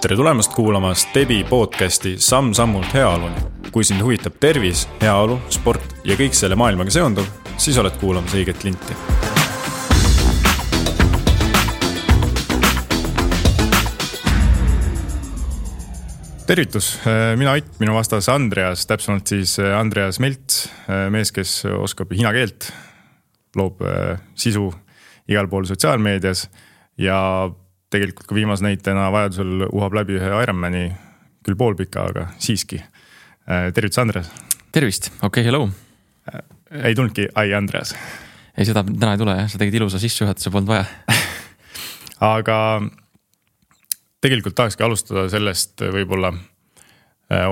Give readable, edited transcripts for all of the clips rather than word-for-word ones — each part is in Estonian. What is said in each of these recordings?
Tere tulemast kuulama Stebi podcasti Samm-sammult heaoluni. Kui sind huvitab tervis, heaolu, sport ja kõik selle maailmaga seonduv, siis oled kuulamas õiget linti. Tervitus, mina Ott, minu vastas Andreas, täpsemalt siis Andreas Melts, mees, kes oskab hiina keelt, loob sisu igal pool sotsiaalmeedias ja tegelikult ka viimase näitena vajadusel uhab läbi ühe Ironmani, küll poolpika, aga siiski. Tervitus, Andreas. Tervist, okei, hello. Ei tulnudki, Andreas. Ei, seda täna ei tule, sa tegid ilusa sissejuhatuse, polnud vaja. Aga tegelikult tahakski alustada sellest võib-olla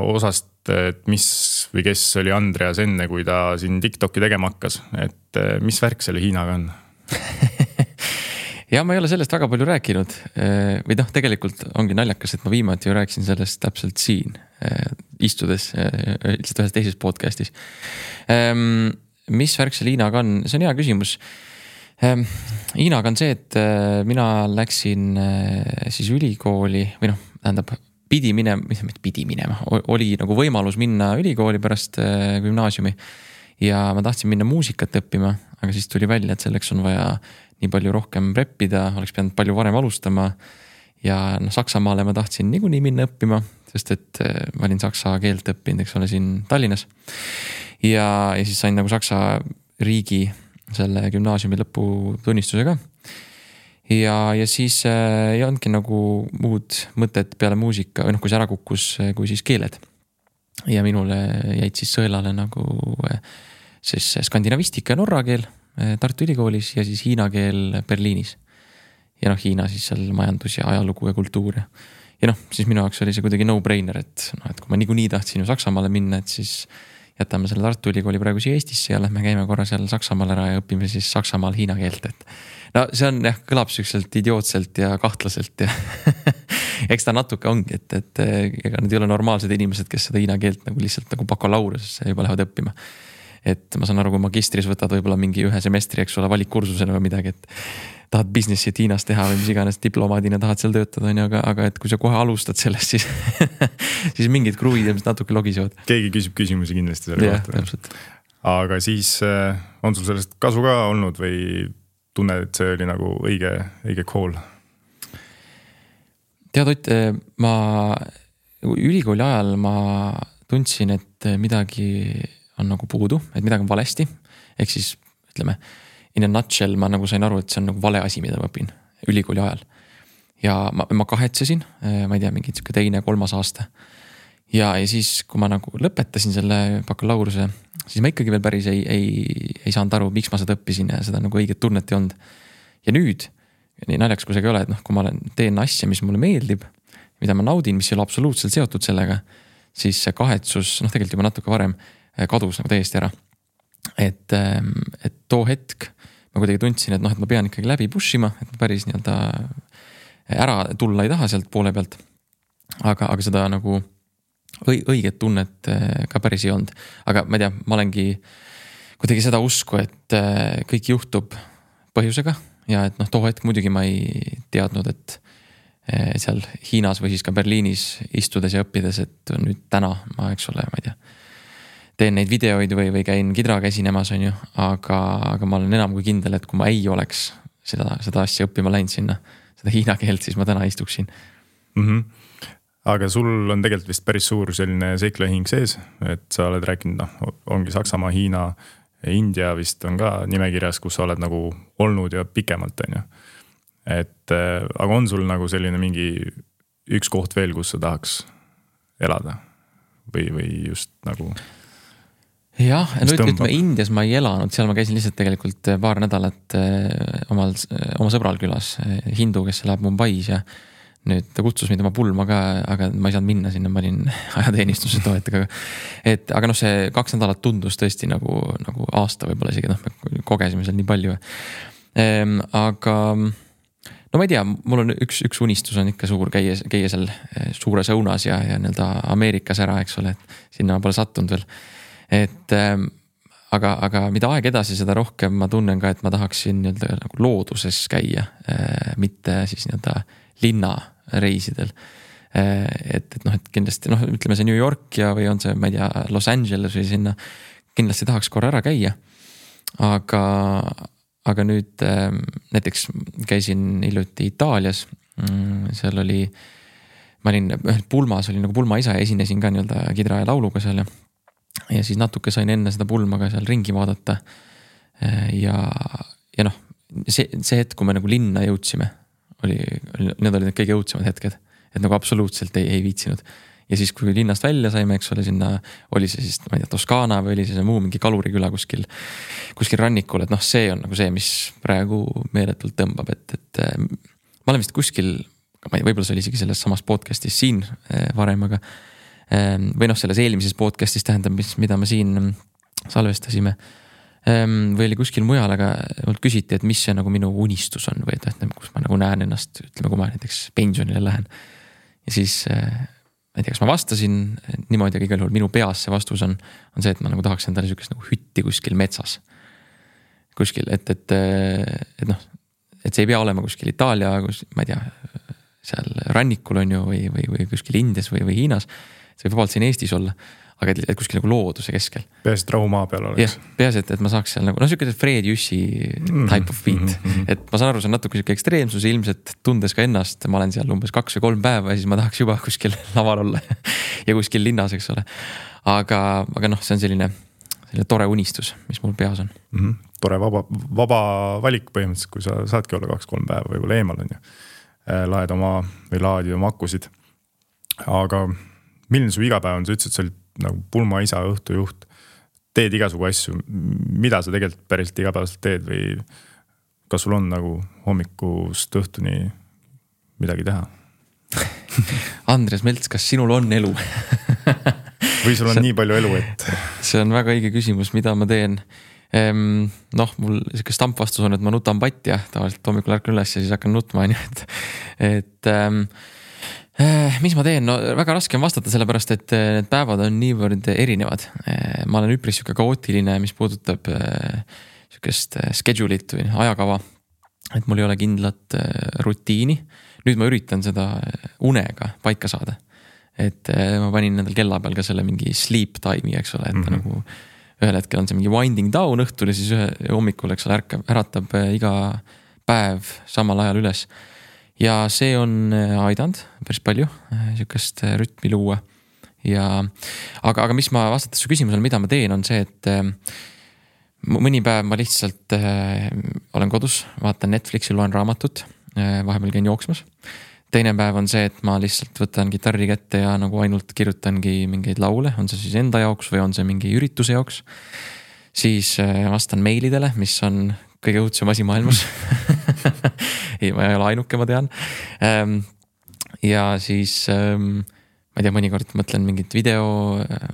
osast, et mis või kes oli Andreas enne, kui ta siin TikToki tegema hakkas. Et mis värk selle Hiinaga on? Ja ma ei ole sellest väga palju rääkinud. Või tegelikult ongi naljakas, et ma viimati ju rääkisin sellest täpselt siin, istudes lihtsalt ühes teises podcastis. Mis värk selle Hiinaga on? See on hea küsimus. Hiinaga on see, et mina läksin siis ülikooli või pidi minema, oli nagu võimalus minna ülikooli pärast gümnaasiumi ja ma tahtsin minna muusikat õppima, aga siis tuli välja, et selleks on vaja nii palju rohkem preppida, oleks pidanud palju varem alustama ja Saksamaale ma tahtsin niikuinii minna õppima, sest et ma olin saksa keelt õppinud, eks ole, siin Tallinnas ja siis sain nagu Saksa riigi selle gümnaasiumi lõputunnistusega. Ja siis ei olnudki nagu muud mõtet peale muusika, või kui see ära kukkus, kui siis keeled. Ja minule jäid siis sõelale nagu siis skandinavistika ja norra keel Tartu Ülikoolis ja siis hiina keel Berliinis. Ja Hiina siis seal majandus ja ajalugu ja kultuur. Ja siis minu jaoks oli see kuidagi no-brainer, et kui ma niikuinii tahtsin ju Saksamaale minna, et siis jätame selle Tartu Ülikooli praegu siia Eestisse ja lähme käime korra seal Saksamaal ära ja õpime siis Saksamaal hiina keelt. No see on kõlab sükselt idiootselt ja kahtlaselt ja eks ta natuke ongi, et ega need ei ole normaalsed inimesed, kes seda hiina keelt nagu lihtsalt nagu bakalaureusesse juba lähevad õppima. Et ma saan aru, kui magistris võtad võib-olla mingi ühe semestri, eks ole, valikkursusena või midagi, et tahad businessit Hiinas teha või mis iganes diplomaadina tahad seal töötada, aga et kui sa kohe alustad sellest, siis mingid kruvid ilmselt natuke logisevad. Keegi küsib küsimusi kindlasti selle kohta. Täpselt. Aga siis on sul sellest kasu ka olnud või tunned, et see oli nagu õige call? Tead, Ott, ma ülikooli ajal ma tundsin, et midagi on nagu puudu, et midagi on valesti. Ehk siis, ütleme, in a nutshell ma nagu sain aru, et see on nagu vale asi, mida ma õpin ülikooli ajal. Ja ma kahetsesin, ma ei tea, mingi 2.–3. aasta. Ja siis, kui ma nagu lõpetasin selle bakalaureuse, siis ma ikkagi veel päris ei saanud aru, miks ma seda õppisin ja seda nagu õiget tunnet ei olnud. Ja nüüd, nii naljaks kui see ei ole, et kui ma teen asja, mis mulle meeldib, mida ma naudin, mis ei ole absoluutselt seotud sellega, siis see kahetsus, tegelikult juba natuke varem, kadus nagu täiesti ära. Et too hetk ma kuidagi tundsin, et ma pean ikkagi läbi pushima, et ma päris ära tulla ei taha sealt poole pealt. Aga seda nagu õiget tunnet ka päris ei olnud. Aga ma ei tea, ma olengi kuidagi seda usku, et kõik juhtub põhjusega ja et too hetk muidugi ma ei teadnud, et seal Hiinas või siis ka Berliinis istudes ja õppides, et nüüd täna ma, eks ole, ma ei tea, teen neid videoid või käin kidraga esinemas, on ju, aga ma olen enam kui kindel, et kui ma ei oleks seda asja õppima läinud sinna, seda hiina keelt, siis ma täna istuksin. Aga sul on tegelikult vist päris suur selline seiklahing sees, et sa oled rääkinud, ongi Saksamaa, Hiina, India vist on ka nimekirjas, kus sa oled nagu olnud ja pikemalt, on ju. Aga on sul nagu selline mingi üks koht veel, kus sa tahaks elada või just nagu... Jah, ütleme Indias ma ei elanud, seal ma käisin lihtsalt tegelikult paar nädalat oma sõbral külas, hindu, kes läheb Mumbais ja nüüd ta kutsus mind oma pulma ka, aga ma ei saanud minna sinna, ma olin ajateenistuses toetaga. Aga see 2 nädalat tundus tõesti nagu aasta võib-olla isegi, me kogesime seal nii palju. Aga ma ei tea, mul on üks unistus on ikka suur käia seal suures õunas ja Ameerikas ära, eks ole, et sinna ma pole sattunud veel. Aga mida aeg edasi, seda rohkem ma tunnen ka, et ma tahaksin nagu looduses käia, mitte siis linna reisidel. et noh, et kindlasti noh, ütleme see New York ja või on see, ma ei tea, Los Angeles või sinna, kindlasti tahaks korra ära käia. Aga nüüd näiteks käisin hiljuti Itaalias, seal oli, ma olin pulmas, olin nagu pulmaisa ja esinesin ka nii-öelda kidra ja lauluga seal ja siis natuke sain enne seda pulmaga seal ringi vaadata. Ja noh, see hetk, kui me nagu linna jõudsime, need olid need kõige õudsemad hetked, et nagu absoluutselt ei viitsinud. Ja siis, kui linnast välja saime, eks ole, sinna oli see siis, ma ei tea, Toskana või oli see muu mingi kaluriküla kuskil rannikul, et noh, see on nagu see, mis praegu meeletult tõmbab, et ma olen vist kuskil, ma ei tea, võib-olla see oli isegi selles samas podcastis siin varem, aga või noh, selles eelmises podcastis tähendab, mida me siin salvestasime või oli kuskil mujal, aga mult küsiti, et mis see nagu minu unistus on või et kus ma nagu näen ennast, ütleme, kui ma näiteks pensionile lähen. Ja siis, ma ei tea, kas ma vastasin niimoodi, aga igal juhul minu peas see vastus on see, et ma nagu tahaks endale sükest nagu hütti kuskil metsas. Kuskil, et noh, et see ei pea olema kuskil Itaalia, ma ei tea, seal rannikul on ju või kuskil Indias või Hiinas. See võib vabalt siin Eestis olla. Aga et kuskil nagu looduse keskel. Peas, et rahumaa peal oleks. Peas, et ma saaks seal nagu, no selline Fred Jüssi type of beat. Et ma saan aru, see on natuke selline ekstreemsus, ilmselt tundes ka ennast, ma olen seal umbes 2 või 3 päeva ja siis ma tahaks juba kuskil laval olla ja kuskil linnas, eks ole. Aga noh, see on selline tore unistus, mis mul peas on. Tore vaba valik põhimõtteliselt, kui sa saadki olla 2-3 päeva võib-olla eemal on ju. Laadid oma akkusid. Aga milline su igapäev on, sa ütlesid, sa olid nagu pulmaisa, õhtujuht, teed igasugu asju, mida sa tegelikult päriselt igapäevaselt teed või kas sul on nagu hommikust õhtuni midagi teha? Andres Melts, kas sinul on elu? Või sul on nii palju elu, et... See on väga õige küsimus, mida ma teen. Noh, mul selline stampvastus on, et ma nutan patja, tavaliselt hommikul ärkan üles ja siis hakkan nutma, et mis ma teen? No väga raske on vastata sellepärast, et need päevad on niivõrd erinevad. Ma olen üpris siuke kaootiline, mis puudutab siukest schedule'it või ajakava, et mul ei ole kindlat rutiini. Nüüd ma üritan seda unega paika saada. Et ma panin nendel kella peal ka selle mingi sleep time'i, eks ole, et nagu ühel hetkel on see mingi winding down õhtul ja siis hommikul, eks ole, äratab iga päev samal ajal üles. Ja see on aidanud päris palju siukest rütmi luua. Aga mis ma vastates su küsimusele, mida ma teen, on see, et mõni päev ma lihtsalt olen kodus, vaatan Netflixi, loen raamatut, vahepeal käin jooksmas. Teine päev on see, et ma lihtsalt võtan kitarri kätte ja nagu ainult kirjutangi mingeid laule, on see siis enda jaoks või on see mingi ürituse jaoks. Siis vastan meilidele, mis on kõige õudsem asi maailmas. Ma ei ole ainuke, ma tean. Ja siis, ma ei tea, mõnikord mõtlen mingit video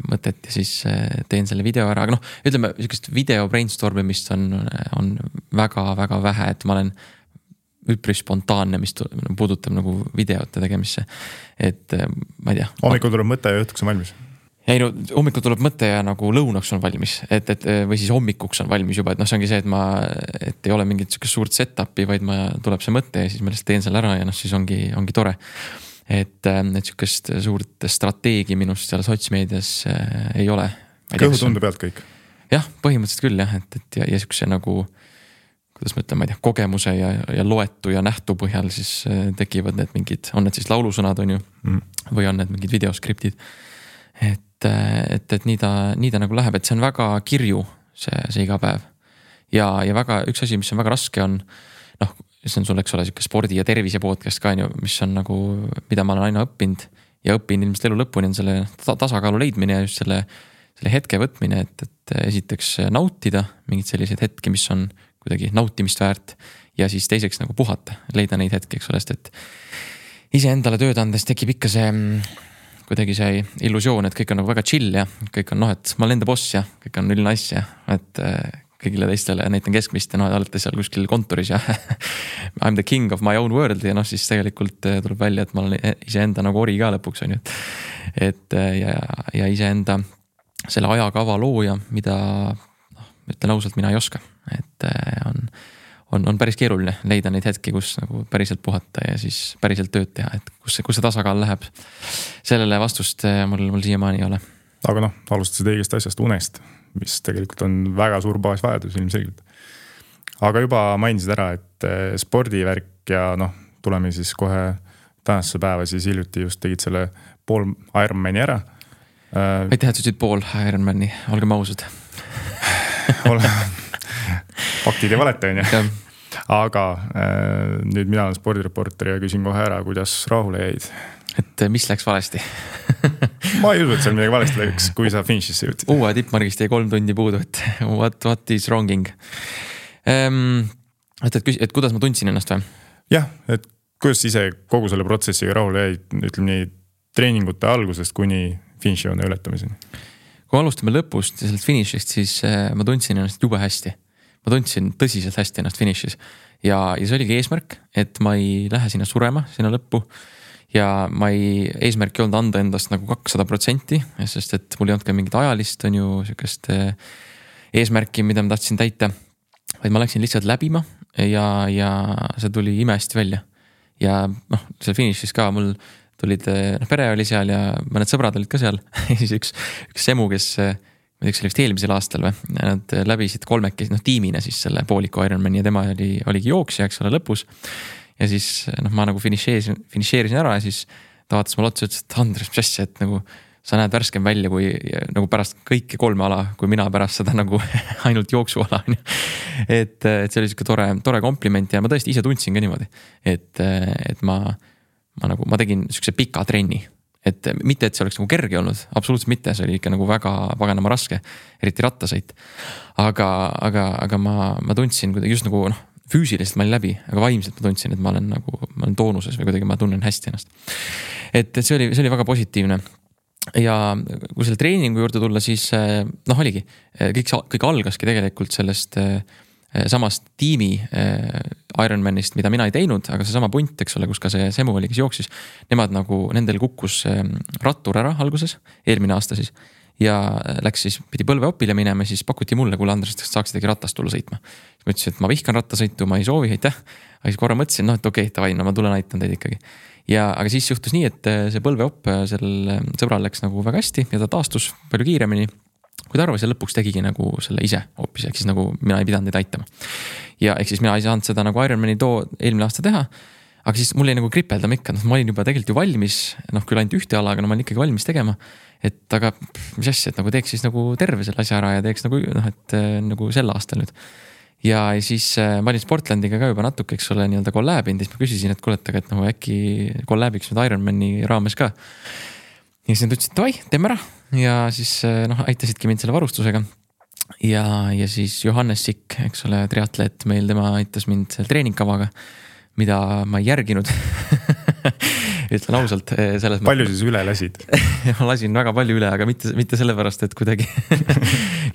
mõtet ja siis teen selle video ära. Aga noh, ütleme, sellisest video brainstormimist on väga-väga vähe, et ma olen üpris spontaanne, mis puudutab nagu videote tegemisse. Et ma ei tea. Hommikul tuleb mõte ja õhtuks on valmis. Ei no, hommikul tuleb mõte ja nagu lõunaks on valmis, või siis hommikuks on valmis juba, et noh, see ongi see, et ei ole mingit suurt set-up'i, vaid tuleb see mõte ja siis ma lihtsalt teen selle ära ja noh, siis ongi tore. Et siukest suurt strateegi minust seal sotsmeedias ei ole. Kõhutunde pealt kõik? Jah, põhimõtteliselt küll jah, et ja siukse nagu, kuidas ma ütlen, ma ei tea, kogemuse ja loetu ja nähtu põhjal siis tekivad need mingid, on need siis laulusõnad on ju, või on need mingid videoskriptid. Et nii ta nagu läheb, et see on väga kirju see iga päev. Ja väga üks asi, mis on väga raske on, noh, see on sul, eks ole, siuke spordi ja tervise podcast ka, mis on nagu, mida ma olen aina õppinud ja õpin ilmselt elu lõpuni on selle tasakaalu leidmine ja just selle hetke võtmine, et esiteks nautida mingid sellised hetki, mis on kuidagi nautimist väärt ja siis teiseks nagu puhata, leida neid hetki, eks ole, et ise endale tööd andes tekib ikka see kuidagi see illusioon, et kõik on nagu väga chill ja kõik on et ma olen enda boss ja kõik on üline asja, et kõigile teistele näitan keskmist ja olete seal kuskil kontoris ja I'm the king of my own world ja siis tegelikult tuleb välja, et ma olen iseenda nagu ori ka lõpuks on ju, et ja iseenda selle ajakava looja, mida ütlen ausalt, mina ei oska, et on päris keeruline leida neid hetki, kus nagu päriselt puhata ja siis päriselt tööd teha, et kus see tasakaal läheb. Sellele vastust mul siiamaani ei ole. Aga alustasid õigest asjast, unest, mis tegelikult on väga suur baasvajadus ilmselgelt. Aga juba mainisid ära, et spordivärk ja tuleme siis kohe tänasesse päeva, siis hiljuti just tegid selle pool Ironmani ära. Aitäh, et sa ütlesid pool Ironmani, olgem ausad. Faktid ei valeta, on ju. Aga nüüd mina olen spordireporter ja küsin kohe ära, kuidas rahule jäid. Et mis läks valesti? Ma ei usu, et seal midagi valesti läks, kui sa finišisse jõudsid. Uue tippmargist jäi 3 tundi puudu, et what is wronging? Et kuidas ma tundsin ennast või? Jah, et kuidas ise kogu selle protsessiga rahule jäid, ütleme nii, treeningute algusest kuni finišijoone ületamiseni? Kui alustame lõpust ja sellest finišist, siis ma tundsin ennast jube hästi. Ma tundsin tõsiselt hästi ennast finišis. Ja see oligi eesmärk, et ma ei lähe sinna surema, sinna lõppu. Ja eesmärk ei olnud anda endast nagu 200%, sest et mul ei olnud ka mingit ajalist, on ju sellist eesmärki, mida ma tahtsin täita. Vaid ma läksin lihtsalt läbima ja see tuli imehästi välja. Ja seal finišis ka mul tulid, pere oli seal ja mõned sõbrad olid ka seal. Siis üks semu, kes, ma teeks oli vist eelmisel aastal või, nad läbisid kolmekesi, tiimina siis selle pooliku Ironmani ja tema oligi jooksja, eks ole, lõpus. Ja siis ma nagu finišeerisin ära ja siis ta vaatas mulle otsa, ütles, et Andres, mis asja, et nagu sa näed värskem välja kui nagu pärast kõiki 3 ala, kui mina pärast seda nagu ainult jooksuala. Et see oli siuke tore kompliment ja ma tõesti ise tundsin ka niimoodi, et ma tegin siukse pika trenni, et mitte, et see oleks nagu kerge olnud, absoluutselt mitte, see oli ikka nagu väga paganama raske, eriti rattasõit. Aga ma tundsin kuidagi just nagu füüsiliselt ma olin läbi, aga vaimselt ma tundsin, et ma olen toonuses või kuidagi ma tunnen hästi ennast. Et see oli väga positiivne. Ja kui selle treeningu juurde tulla, siis oligi, kõik algaski tegelikult sellest samast tiimi Ironmanist, mida mina ei teinud, aga see sama punt, eks ole, kus ka see semu oli, kes jooksis, nendel kukkus rattur ära alguses, eelmine aasta siis, ja läks siis, pidi põlveopile minema, siis pakuti mulle, kuule Andres, saaks tegi ratast tulla sõitma. Siis ma ütlesin, et ma vihkan rattasõitu, ma ei soovi, aitäh. Aga siis korra mõtlesin, et okei, tavai, ma tulen aitan teid ikkagi. Aga siis juhtus nii, et see põlveopp sellel sõbral läks nagu väga hästi ja ta taastus palju kiiremini. Kui ta arvas ja lõpuks tegigi nagu selle ise hoopis, ehk siis nagu mina ei pidanud neid aitama. Ja ehk siis mina ei saanud seda nagu Ironmani eelmine aasta teha, aga siis mul jäi nagu kripeldama ikka, ma olin juba tegelikult ju valmis, küll ainult ühte ala, aga ma olin ikkagi valmis tegema, et aga mis asja, et nagu teeks siis nagu terve selle asja ära ja teeks nagu, et nagu sel aastal nüüd. Ja siis ma olin Sportlandiga ka juba natuke, eks ole, nii-öelda kollääbinud, siis ma küsisin, et kuuletage, et nagu äkki kollääbiks nüüd Ironmani raames ka. Ja siis nad ütlesid, davai, teeme ära. Ja siis aitasidki mind selle varustusega. Ja siis Johannes Sikk, eks ole, triatleet meil, tema aitas mind selle treeningkavaga, mida ma ei järginud. Ütlen ausalt. Palju siis üle lasid? Ma lasin väga palju üle, aga mitte sellepärast, et kuidagi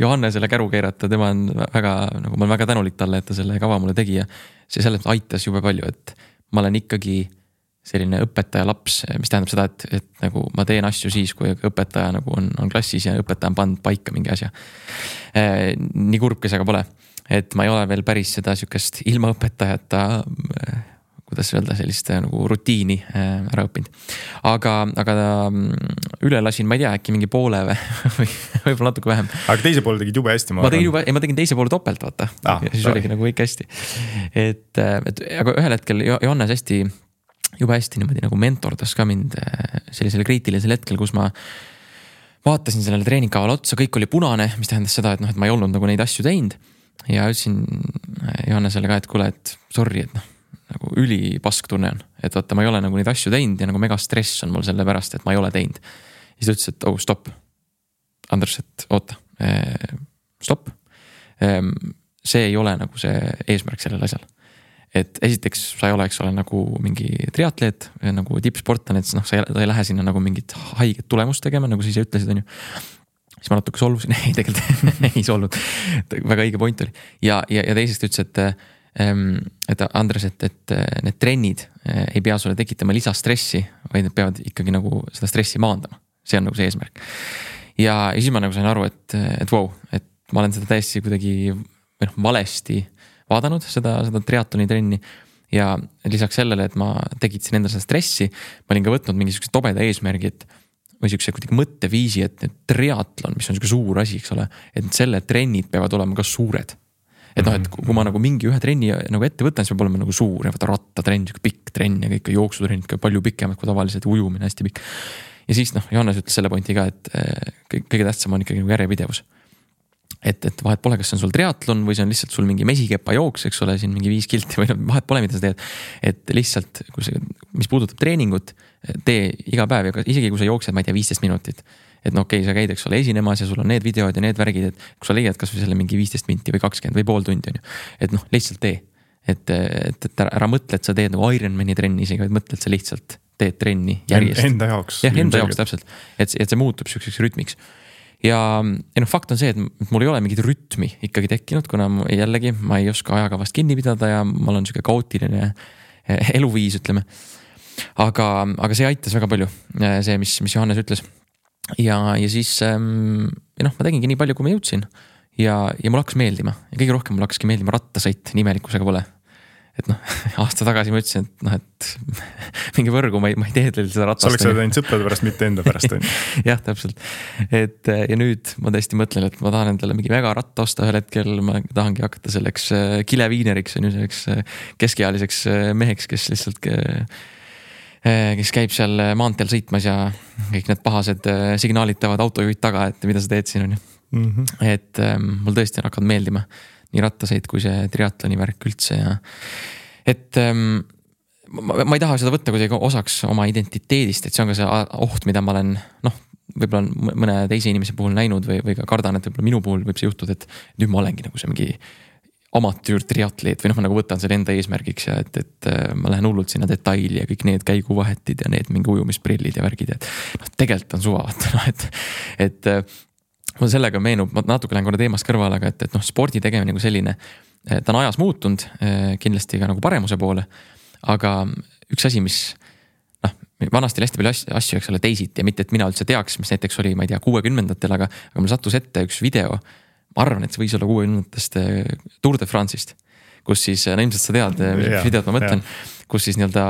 Johannesele käru keerata, tema on väga, nagu ma olen väga tänulik talle, et ta selle kava mulle tegi ja see selles aitas jube palju, et ma olen ikkagi selline õpetaja laps, mis tähendab seda, et nagu ma teen asju siis, kui õpetaja nagu on klassis ja õpetaja on pannud paika mingi asja. Nii kurb, kes aga pole. Et ma ei ole veel päris seda sükest ilma õpetajata, kuidas öelda, sellist nagu rutiini ära õppinud. Aga üle lasin, ma ei tea, äkki mingi poole või võib-olla natuke vähem. Aga teise poole tegid jube hästi. Ma tegin teise poole topelt, vaata. Ja siis oligi nagu kõik hästi. Aga ühel hetkel Johannes jube hästi niimoodi nagu mentordas ka mind sellisele kriitilisel hetkel, kus ma vaatasin sellele treeningkavale otsa, kõik oli punane, mis tähendas seda, et ma ei olnud nagu neid asju teinud. Ja ütlesin Johannesele ka, et kuule, et sorry, et nagu ülipask tunne on, et vaata, ma ei ole nagu neid asju teinud ja nagu mega stress on mul selle pärast, et ma ei ole teinud. Ja siis ta ütles, et stopp. Andres, et oota, stopp. See ei ole nagu see eesmärk sellel asjal. Et esiteks sa ei ole, eks ole, nagu mingi triatleet, nagu tippsportlane, et sa ei lähe sinna nagu mingit haiget tulemust tegema, nagu siis ütlesid, on ju. Siis ma natuke solvusin, ei tegelikult ei solnud, väga õige point oli. Ja teisest ütles, et Andres, et need trennid ei pea sulle tekitama lisastressi, vaid need peavad ikkagi nagu seda stressi maandama. See on nagu see eesmärk. Ja siis ma nagu sain aru, et wow, et ma olen seda täiesti kuidagi valesti vaadanud seda triatloni trenni. Ja lisaks sellele, et ma tekitasin endale seda stressi, ma olin ka võtnud mingisuguse tobeda eesmärgi, et või siukse kuidagi mõtteviisi, et triatlon, mis on siuke suur asi, eks ole, et selle trennid peavad olema ka suured. Et noh, et kui ma nagu mingi ühe trenni nagu ette võtan, siis peab olema nagu suur ja võtta rattatrenn, siuke pikk trenn ja kõik jooksutrenn, palju pikemad kui tavaliselt, ujumine hästi pikk. Ja siis noh, Johannes ütles selle pointi ka, et kõige tähtsam on ikkagi nagu järjepidevus. Et vahet pole, kas see on sul triatlon või see on lihtsalt sul mingi mesikepa jooks, eks ole, siin mingi 5 kilti või vahet pole, mida sa teed. Et lihtsalt, mis puudutab treeningut, tee iga päev ja isegi kui sa jooksed, ma ei tea, 15 minutit. Et no okei, sa käid, eks ole, esinemas ja sul on need videod ja need värgid, et kui sa leiad kas või selle mingi 15 minti või 20 või pool tundi on ju. Et noh, lihtsalt tee. Et ära mõtle, et sa teed nagu Ironmani trenni isegi, vaid mõtle, et sa lihtsalt teed trenni järjest. Enda jaoks. Jah, enda jaoks täpselt. Et see muutub selliseks rütmiks. Ja noh, fakt on see, et mul ei ole mingit rütmi ikkagi tekkinud, kuna jällegi ma ei oska ajakavast kinni pidada ja mul on siuke kaootiline eluviis, ütleme. Aga see aitas väga palju, see, mis Johannes ütles. Ja siis noh, ma tegingi nii palju, kui ma jõudsin ja mul hakkas meeldima ja kõige rohkem mul hakkaski meeldima rattasõit, nimelikkusega pole. Et noh, aasta tagasi ma ütlesin, et noh, et mingi võrgu ma ei tee seda ratast. Sa oleks seda teinud sõprade pärast, mitte enda pärast. Jah, täpselt. Et ja nüüd ma tõesti mõtlen, et ma tahan endale mingi väga ratta osta ühel hetkel, ma tahangi hakata selleks kileviineriks, on ju selleks keskealiseks meheks, kes lihtsalt kes käib seal maanteel sõitmas ja kõik need pahased signaalid teevad autojuhid taga, et mida sa teed siin on ju. Et mul tõesti on hakanud meeldima nii rattasõit kui see triatloni värk üldse ja et ma ei taha seda võtta kuidagi osaks oma identiteedist, et see on ka see oht, mida ma olen noh, võib-olla mõne teise inimese puhul näinud või ka kardan, et võib-olla minu puhul võib see juhtuda, et nüüd ma olengi nagu see mingi amatüür triatleet või noh, ma nagu võtan selle enda eesmärgiks ja et ma lähen hullult sinna detaili ja kõik need käiguvahetid ja need mingi ujumisprillid ja värgid ja noh, tegelikult on suva, et mul sellega meenub, ma natuke lähen korra teemast kõrvale, aga et noh, spordi tegemine nagu selline, ta on ajas muutunud kindlasti ka nagu paremuse poole, aga üks asi, mis noh, vanasti oli hästi palju asju, eks ole, teisiti ja mitte, et mina üldse teaks, mis näiteks oli, ma ei tea, 60-ndatel, aga mul sattus ette üks video, ma arvan, et see võis olla 60-ndast Tour de France'ist, kus siis, no ilmselt sa tead, mis videot ma mõtlen, kus siis nii-öelda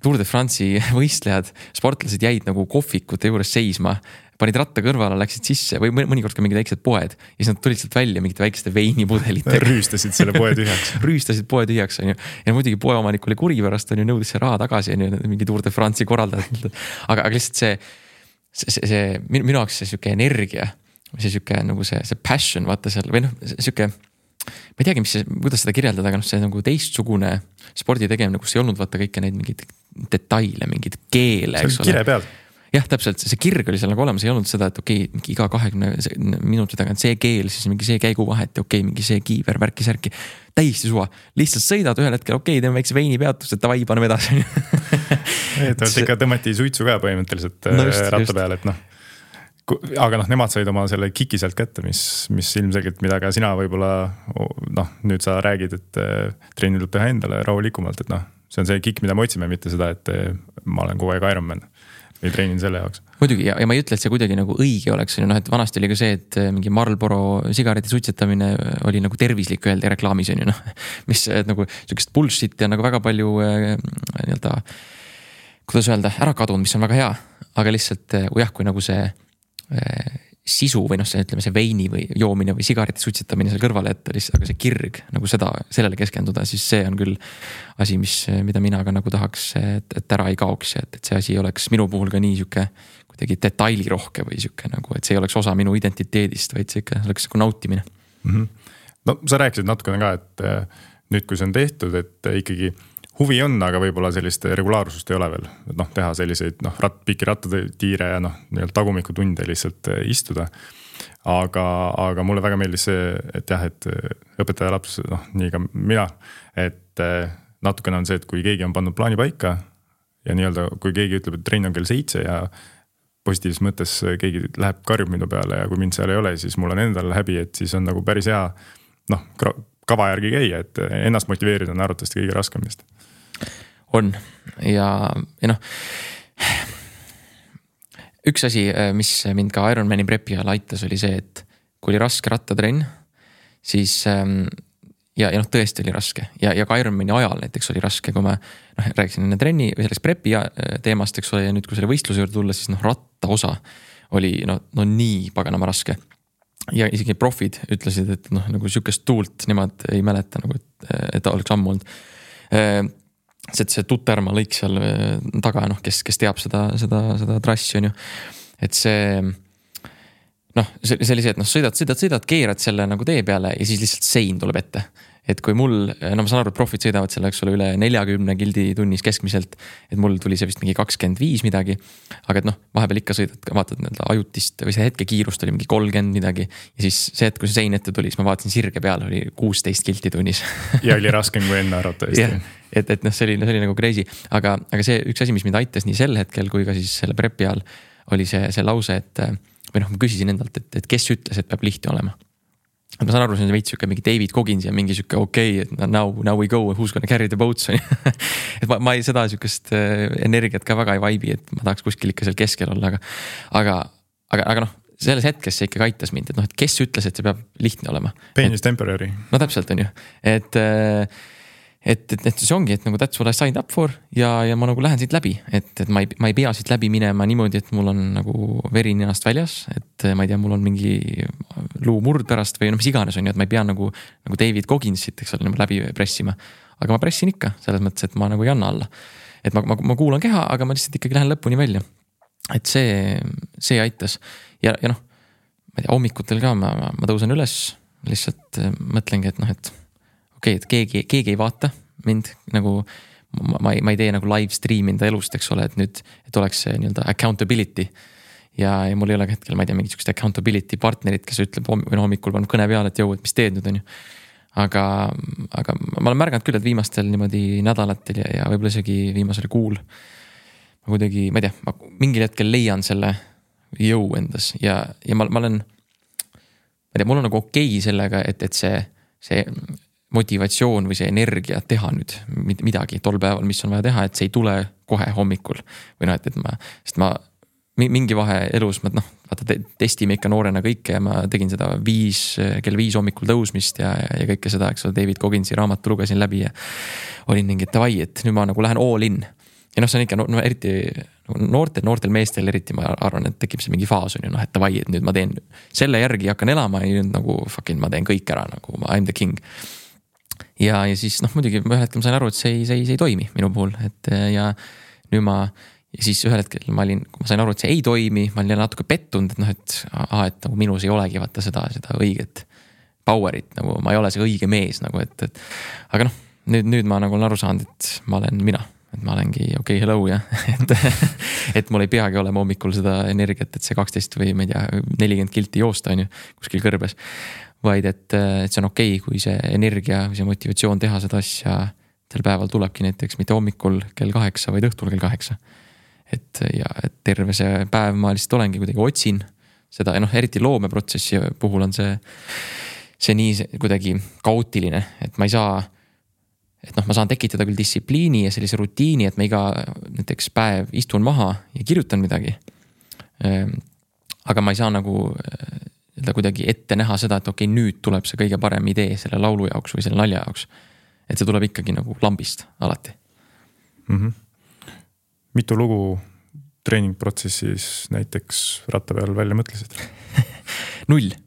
Tour de France'i võistlejad, sportlased jäid nagu kohvikute juures seisma, panid ratta kõrvale, läksid sisse või mõnikord ka mingid väiksed poed ja siis nad tulid sealt välja mingite väikeste veinipudelitega. Rüüstasid selle poe tühjaks. Rüüstasid poe tühjaks, on ju. Ja muidugi poeomanik oli kuri pärast, on ju, nõudis see raha tagasi, on ju, mingi Tour de France'i korraldajad. Aga lihtsalt see minu jaoks see siuke energia, see siuke nagu see passion, vaata seal, või noh, siuke, ma ei teagi, kuidas seda kirjeldada, aga noh, see nagu teistsugune spordi tegemine, kus ei olnud vaata kõike neid mingid detaile, mingid keele, eks ole. See kire peal. Jah, täpselt, see kirg oli seal nagu olemas, ei olnud seda, et okei, mingi iga 20 minuti tagant see keel, siis mingi see käiguvahet ja okei, mingi see kiiver, värki, särki. Täiesti suva. Lihtsalt sõidad ühel hetkel, okei, teeme väikse veinipeatus, et davai, paneme edasi. Ikka tõmmati suitsu ka põhimõtteliselt ratta peale, et noh. Aga noh, nemad said oma selle kiki sealt kätte, mis ilmselgelt, mida ka sina võib-olla, noh, nüüd sa räägid, et trenni tuleb teha endale rahulikumalt, et noh, see on see kikk, mida me otsime, mitte seda, et ma olen kogu aeg Ironman. Ei treenin selle jaoks. Muidugi, ja ma ei ütle, et see kuidagi nagu õige oleks, noh, et vanasti oli ka see, et mingi Marlboro sigareti suitsetamine oli nagu tervislik öeldi reklaamis, on ju, noh, mis nagu sellisest bullshit ja nagu väga palju nii-öelda, kuidas öelda, ära kadunud, mis on väga hea, aga lihtsalt jah, kui nagu see sisu või noh, see ütleme see veini või joomine või sigareti suitsetamine seal kõrvale, et lihtsalt aga see kirg nagu sellele keskenduda, siis see on küll asi, mida mina ka nagu tahaks, et ära ei kaoks ja et see asi oleks minu puhul ka nii siuke kuidagi detailirohke või siuke nagu, et see ei oleks osa minu identiteedist, vaid see ikka oleks nagu nautimine. No sa rääkisid natukene ka, et nüüd kui see on tehtud, et ikkagi huvi on, aga võib-olla sellist regulaarsust ei ole veel. Et noh, teha selliseid pikki rattatiire ja tagumiku tunde lihtsalt istuda. Aga mulle väga meeldis see, et jah, et õpetaja laps, nii ka mina, et natukene on see, et kui keegi on pannud plaani paika ja nii-öelda, kui keegi ütleb, et trenn on kell 7 ja positiivses mõttes keegi läheb karjub minu peale ja kui mind seal ei ole, siis mul on endal häbi, et siis on nagu päris hea kava järgi käia, et ennast motiveerida on arvatavasti kõige raskemist. On ja noh, üks asi, mis mind ka Ironmani prepi ajal aitas, oli see, et kui oli raske rattatrenn, siis ja noh, tõesti oli raske ja ka Ironmani ajal näiteks oli raske, kui ma rääkisin enne trenni või selleks prepi teemast, eks ole, ja nüüd kui selle võistluse juurde tulla, siis ratta osa oli no nii paganama raske. Ja isegi profid ütlesid, et nagu sükest tuult nemad ei mäleta nagu, et oleks ammu olnud. See Tuterma lõik seal taga, kes teab seda trassi on ju, et see oli see, et sõidad, keerad selle nagu tee peale ja siis lihtsalt sein tuleb ette. Et kui mul, ma saan aru, et profid sõidavad selle, eks ole, üle 40 kildi tunnis keskmiselt, et mul tuli see vist mingi 25 midagi, aga et vahepeal ikka sõidad, vaatad ajutist või see hetke kiirust oli mingi 30 midagi ja siis see hetk, kui see sein ette tuli, siis ma vaatasin sirge peale, oli 16 kilti tunnis. Ja oli raskem kui enne arvatavasti. Et see oli nagu crazy, aga see üks asi, mis mind aitas nii sel hetkel kui ka siis selle prepi all, oli see lause, et või ma küsisin endalt, et kes ütles, et peab lihtne olema. Ma saan aru, see on veits siuke mingi David Goggins ja mingi siuke et now we go, who's gonna carry the boats. Et ma ei seda siukest energiat ka väga ei vaibi, et ma tahaks kuskil ikka seal keskel olla, aga selles hetkes see ikka aitas mind, et kes ütles, et see peab lihtne olema. Pain is temporary. No täpselt on ju, et see ongi, et nagu that's what I signed up for ja ma nagu lähen siit läbi, et ma ei pea siit läbi minema niimoodi, et mul on nagu veri ninast väljas, et ma ei tea, mul on mingi luumurd pärast või mis iganes on ju, et ma ei pea nagu David Gogginsit, eks ole, läbi pressima, aga ma pressin ikka selles mõttes, et ma nagu ei anna alla, et ma kuulan keha, aga ma lihtsalt ikkagi lähen lõpuni välja, et see aitas ja ma ei tea, hommikutel ka ma tõusen üles, lihtsalt mõtlengi, et okei, et keegi ei vaata mind nagu, ma ei tee nagu live stream enda elust, eks ole, et nüüd, et oleks see nii-öelda accountability ja mul ei ole hetkel, ma ei tea, mingit sükest accountability partnerit, kes ütleb hommikul paneb kõne peale, et jõu, et mis teed nüüd on ju. Aga ma olen märganud küll, et viimastel niimoodi nädalatel ja võib-olla isegi viimasel kuul ma kuidagi, ma ei tea, ma mingil hetkel leian selle jõu endas ja ma olen, ma ei tea, mul on nagu okei sellega, et see motivatsioon või see energia teha nüüd midagi tol päeval, mis on vaja teha, et see ei tule kohe hommikul või sest ma mingi vahe elus, vaata testime ikka noorena kõike ja ma tegin seda kell 5 hommikul tõusmist ja kõike seda, eks ole, David Gogginsi raamatu lugesin läbi ja olin mingi, et davai, et nüüd ma nagu lähen all in ja see on ikka, eriti noortel meestel eriti ma arvan, et tekib see mingi faas on ju, et davai, et nüüd ma teen selle järgi hakkan elama ja nüüd nagu fucking ma teen kõik ära, nagu I'm the king. Ja siis muidugi ühel hetkel ma sain aru, et see ei toimi minu puhul, et ja nüüd ja siis ühel hetkel kui ma sain aru, et see ei toimi, ma olin natuke pettunud, et nagu minus ei olegi vaata seda õiget powerit, nagu ma ei ole see õige mees nagu, aga nüüd ma nagu olen aru saanud, et ma olen mina, et ma olengi okei, hello ja et mul ei peagi olema hommikul seda energiat, et see 12 või ma ei tea, 40 kilti joosta on ju kuskil kõrbes, vaid et see on okei, kui see energia või see motivatsioon teha seda asja sel päeval tulebki näiteks mitte hommikul kell 8, vaid õhtul kell 8. Et terve see päev ma lihtsalt olengi kuidagi otsin seda, eriti loomeprotsessi puhul on see nii kuidagi kaootiline, et ma ei saa, et ma saan tekitada küll distsipliini ja sellise rutiini, et ma iga näiteks päev istun maha ja kirjutan midagi. Aga ma ei saa nagu kuidagi ette näha seda, et okei, nüüd tuleb see kõige parem idee selle laulu jaoks või selle nalja jaoks. Et see tuleb ikkagi nagu lambist alati. Mitu lugu treeningprotsessis näiteks ratta peal välja mõtlesid? 0.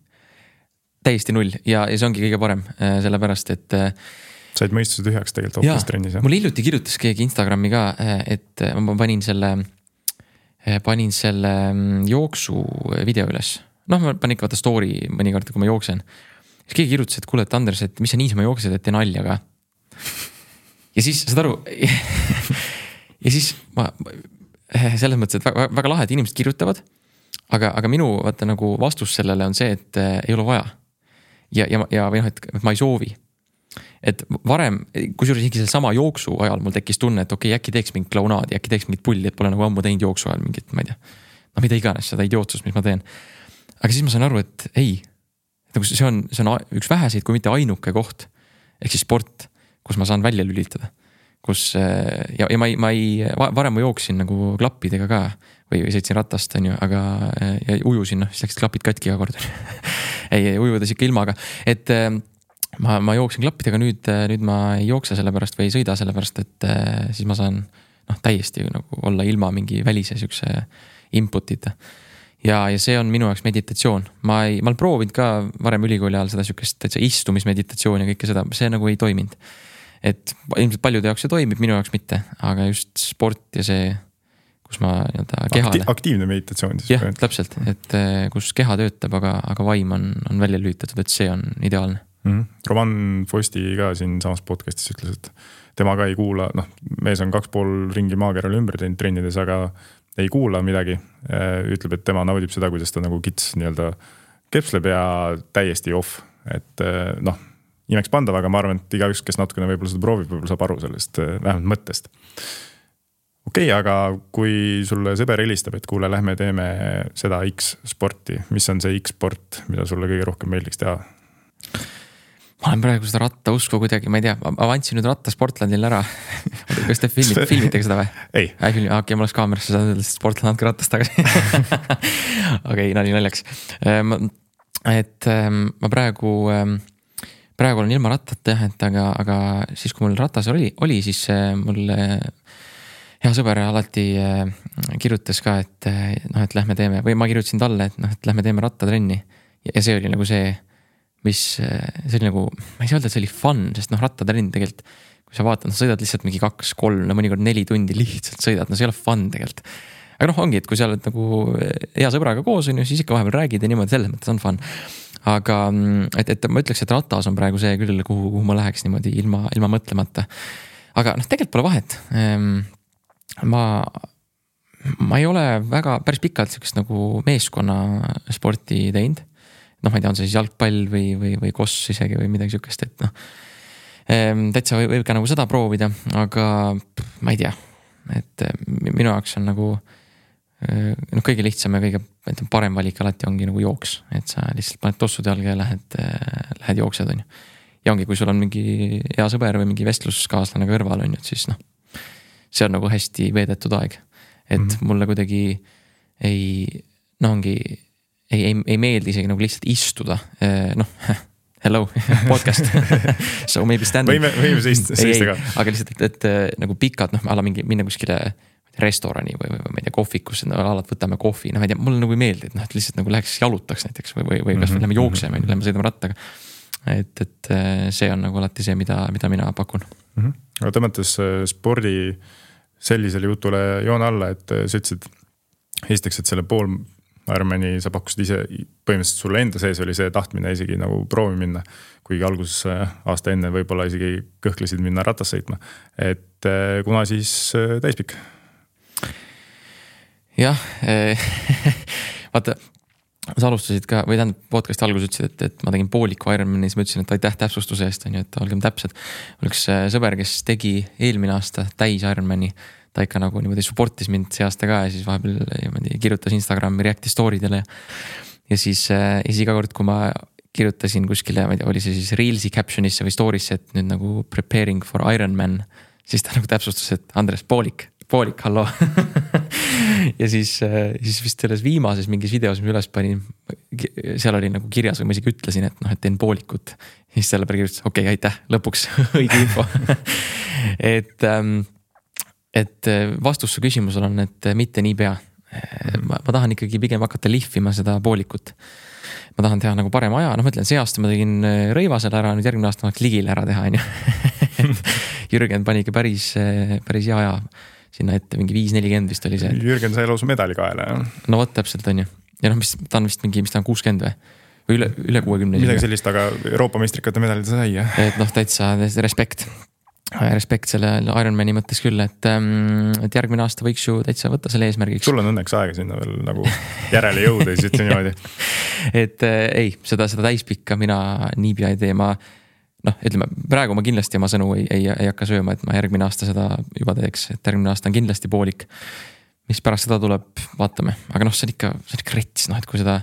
Täiesti 0 ja see ongi kõige parem, sellepärast, et said mõistuse tühjaks tegelikult hoopis trennis. Mul hiljuti kirjutas keegi Instagrami ka, et ma panin selle jooksu video üles. Ma panin ikka vaata story mõnikord, kui ma jooksen. Siis keegi kirjutas, et kuule, et Anders, et mis sa niisama jooksed, et tee nalja ka. Ja siis, saad aru, ja siis ma selles mõttes, et väga lahe, et inimesed kirjutavad, aga minu vaata nagu vastus sellele on see, et ei ole vaja. Ja või et ma ei soovi. Et varem, kusjuures isegi selle sama jooksu ajal mul tekkis tunne, et okei, äkki teeks mingit klaunaadi, äkki teeks mingit pulli, et pole nagu ammu teinud jooksu ajal mingit, ma ei tea, mida iganes seda idiootsust, mis ma teen. Aga siis ma sain aru, et ei, see on üks väheseid, kui mitte ainuke koht, ehk siis sport, kus ma saan välja lülitada, kus ja varem ma jooksin nagu klappidega ka või sõitsin ratast, on ju, aga ja ujusin, siis läksid klapid katki iga kord. ei ujudes ikka ilmaga, et ma jooksin klappidega, nüüd ma ei jookse selle pärast või ei sõida selle pärast, et siis ma saan täiesti nagu olla ilma mingi välise siukse input'ita. Ja see on minu jaoks meditatsioon. Ma olen proovinud ka varem ülikooli ajal seda siukest täitsa istumismeditatsiooni ja kõike seda, see nagu ei toiminud. Et ilmselt paljude jaoks see toimib, minu jaoks mitte, aga just sport ja see, kus ma kehale. Aktiivne meditatsioon siis. Jah, täpselt, et kus keha töötab, aga vaim on välja lülitatud, et see on ideaalne. Roman Fosti ka siin samas podcastis ütles, et tema ka ei kuula, mees on 2,5 ringi maakeral ümber teinud trennides, aga ei kuula midagi. Ütleb, et tema naudib seda, kuidas ta nagu kits nii-öelda kepsleb ja täiesti off. Et imeks pandav, aga ma arvan, et igaüks, kes natukene võib-olla seda proovib, võib-olla saab aru sellest vähemalt mõttest. Okei, aga kui sulle sõber helistab, et kuule, lähme teeme seda X-sporti, mis on see X-sport, mida sulle kõige rohkem meeldiks teha? Ma olen praegu seda rattausku kuidagi, ma ei tea, ma andsin nüüd ratta Sportlandil ära. Kas te filmitegi seda või? Ei. Okei, ma oleks kaamerasse saanud, et Sportland andke rattast tagasi. Okei, naljaks. Et ma praegu olen ilma rattata, aga siis kui mul ratas oli, siis mul hea sõber alati kirjutas ka, et lähme teeme, või ma kirjutasin talle, et lähme teeme rattatrenni. Ja see oli nagu see, see oli nagu, ma ei saa öelda, et see oli fun, sest rattatrenn tegelikult, kui sa vaatad, sa sõidad lihtsalt mingi 2-3, mõnikord 4 tundi lihtsalt sõidad, see ei ole fun tegelikult. Aga ongi, et kui sa oled nagu hea sõbraga koos, siis ikka vahepeal räägid ja niimoodi, selles mõttes on fun. Aga et ma ütleks, et ratas on praegu see küll, kuhu ma läheks niimoodi ilma mõtlemata. Aga tegelikult pole vahet. Ma ei ole väga päris pikalt sellist nagu meeskonna sporti teinud. Ma ei tea, on see siis jalgpall või koss isegi või midagi sükest, et täitsa võib ka nagu seda proovida, aga ma ei tea, et minu jaoks on nagu kõige lihtsam ja kõige parem valik alati ongi nagu jooks, et sa lihtsalt paned tossud jalga ja lähed jooksed, on ju. Ja ongi, kui sul on mingi hea sõber või mingi vestluskaaslane kõrval, on ju, et siis see on nagu hästi veedetud aeg. Et mulle kuidagi ei meeldi isegi nagu lihtsalt istuda. Hello, podcast. So maybe stand. Võime seista ka. Aga lihtsalt, et nagu pikad, ala minna kuskile restorani või ma ei tea, kohvikus, alati võtame kohvi, ma ei tea, mulle nagu ei meeldi, et lihtsalt nagu läheks jalutaks näiteks või kas lähme jookseme, lähme sõidame rattaga. Et see on nagu alati see, mida mina pakun. Aga tõmmates spordi sellisele jutule joon alla, et sa ütlesid esiteks, et selle pool Ironmani sa pakkusid ise, põhimõtteliselt sulle enda sees oli see tahtmine isegi nagu proovi minna, kuigi alguses aasta enne võib-olla isegi kõhklesid minna ratas sõitma. Et kuna siis täispikk? Jah, vaata, sa alustasid ka, või tähendab podcasti alguses ütlesid, et ma tegin pooliku Ironmani, siis ma ütlesin, et aitäh täpsustuse eest, on ju, et olgem täpsed. Mul üks sõber, kes tegi eelmine aasta täis Ironmani, ta ikka nagu niimoodi supportis mind see aasta ka ja siis vahepeal kirjutas Instagrami reacti story'dele ja siis iga kord, kui ma kirjutasin kuskile, ma ei tea, oli see siis Reelsi captionisse või story'sse, et nüüd nagu preparing for Ironman, siis ta nagu täpsustas, et Andres, poolik, hallo. Ja siis vist selles viimases mingis videos, mis üles panin, seal oli nagu kirjas või ma isegi ütlesin, et et teen poolikut. Siis selle peale kirjutas, okei, aitäh, lõpuks õige info. Et vastus su küsimusel on, et mitte nii pea. Ma tahan ikkagi pigem hakata lihvima seda poolikut. Ma tahan teha nagu parem aja. Ma ütlen, see aasta ma tegin Rõivasele ära, nüüd järgmine aasta ma Ligile ära teha. Jürgen pani ikka päris hea aja sinna ette, mingi 5.40 vist oli see. Jürgen sai lausa medali kaela. No võt täpselt on ju. Ja ta on vist mingi, mis ta on 60 või üle 60. Midagi sellist, aga Euroopa meistrikate medalid sai. Et täitsa respekt selle Ironmani mõttes küll, et järgmine aasta võiks ju täitsa võtta selle eesmärgiks. Sul on õnneks aega sinna veel nagu järele jõuda, siis ütle niimoodi. Et ei, seda täispikka mina niipea ei tee. Ütleme, praegu ma kindlasti oma sõnu ei hakka sööma, et ma järgmine aasta seda juba teeks, et järgmine aasta on kindlasti poolik. Mis pärast seda tuleb, vaatame. Aga see on ikka rets, et kui seda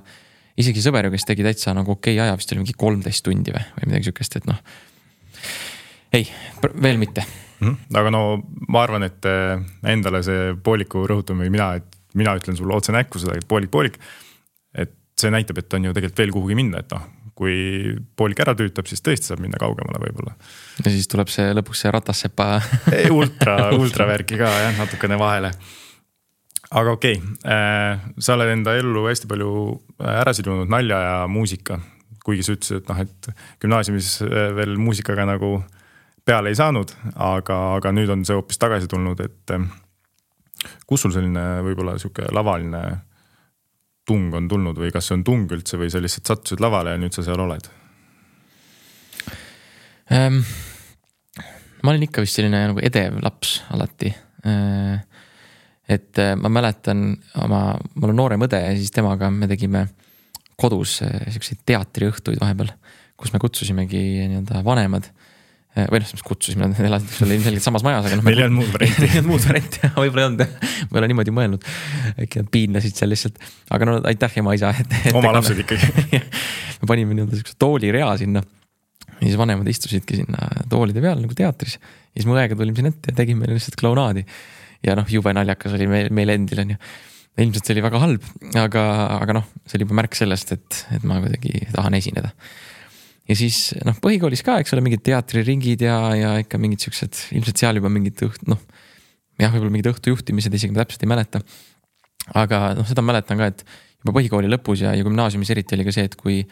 isegi sõber, kes tegi täitsa nagu okei aja, vist oli mingi 13 tundi või midagi sükest, et ei, veel mitte. Aga ma arvan, et endale see pooliku rõhutamine mina ütlen sulle otse näkku seda, et poolik, et see näitab, et on ju tegelikult veel kuhugi minna, et kui poolik ära tüütab, siis tõesti saab minna kaugemale võib-olla. Ja siis tuleb see lõpuks see ratassepa ultra värki ka jah, natukene vahele. Aga okei, sa oled enda ellu hästi palju ära sidunud nalja ja muusika, kuigi sa ütlesid, et gümnaasiumis veel muusikaga nagu peale ei saanud, aga nüüd on see hoopis tagasi tulnud, et kus sul selline võib-olla siuke lavaline tung on tulnud või kas see on tung üldse või sa lihtsalt sattusid lavale ja nüüd sa seal oled? Ma olin ikka vist selline nagu edev laps alati. Et ma mäletan mul on noorem õde ja siis temaga me tegime kodus selliseid teatriõhtuid vahepeal, kus me kutsusimegi nii-öelda vanemad või mis kutsusime, nad elasid ilmselgelt samas majas, aga meil ei olnud muud varianti, võib-olla ei olnud, ma ei ole niimoodi mõelnud, äkki nad piinlesid seal lihtsalt, aga no aitäh ema isa. Oma lapsed ikkagi. Me panime nii-öelda sellise toolirea sinna ja siis vanemad istusidki sinna toolide peal nagu teatris ja siis mu õega tulime siin ette ja tegime lihtsalt klaunaadi ja jube naljakas oli meil endil on ju. Ilmselt see oli väga halb, aga see oli juba märk sellest, et ma kuidagi tahan esineda. Ja siis põhikoolis ka, eks ole, mingid teatriringid ja ikka mingid siuksed, ilmselt seal juba mingid võib-olla mingid õhtujuhtimised, isegi ma täpselt ei mäleta. Aga seda mäletan ka, et juba põhikooli lõpus ja gümnaasiumis eriti oli ka see, et kui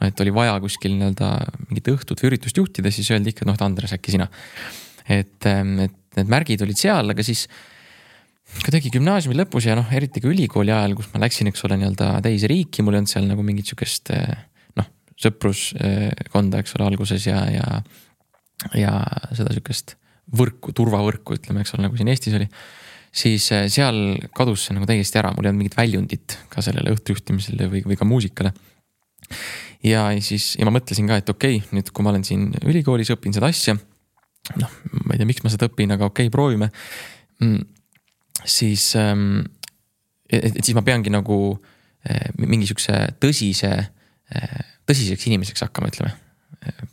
et oli vaja kuskil nii-öelda mingit õhtut või üritust juhtida, siis öeldi ikka, Andres, äkki sina. Et need märgid olid seal, aga siis kuidagi gümnaasiumi lõpus ja eriti ka ülikooli ajal, kus ma läksin, eks ole, nii-öelda teise riiki, mul ei olnud seal nagu mingit siukest sõpruskonda, eks ole, alguses ja seda siukest võrku, turvavõrku, ütleme, eks ole, nagu siin Eestis oli, siis seal kadus see nagu täiesti ära, mul ei olnud mingit väljundit ka sellele õhtujuhtimisele või ka muusikale. Ja ma mõtlesin ka, et okei, nüüd kui ma olen siin ülikoolis, õpin seda asja, ma ei tea, miks ma seda õpin, aga okei, proovime, siis ma peangi nagu mingi siukse tõsiseks inimeseks hakkama, ütleme.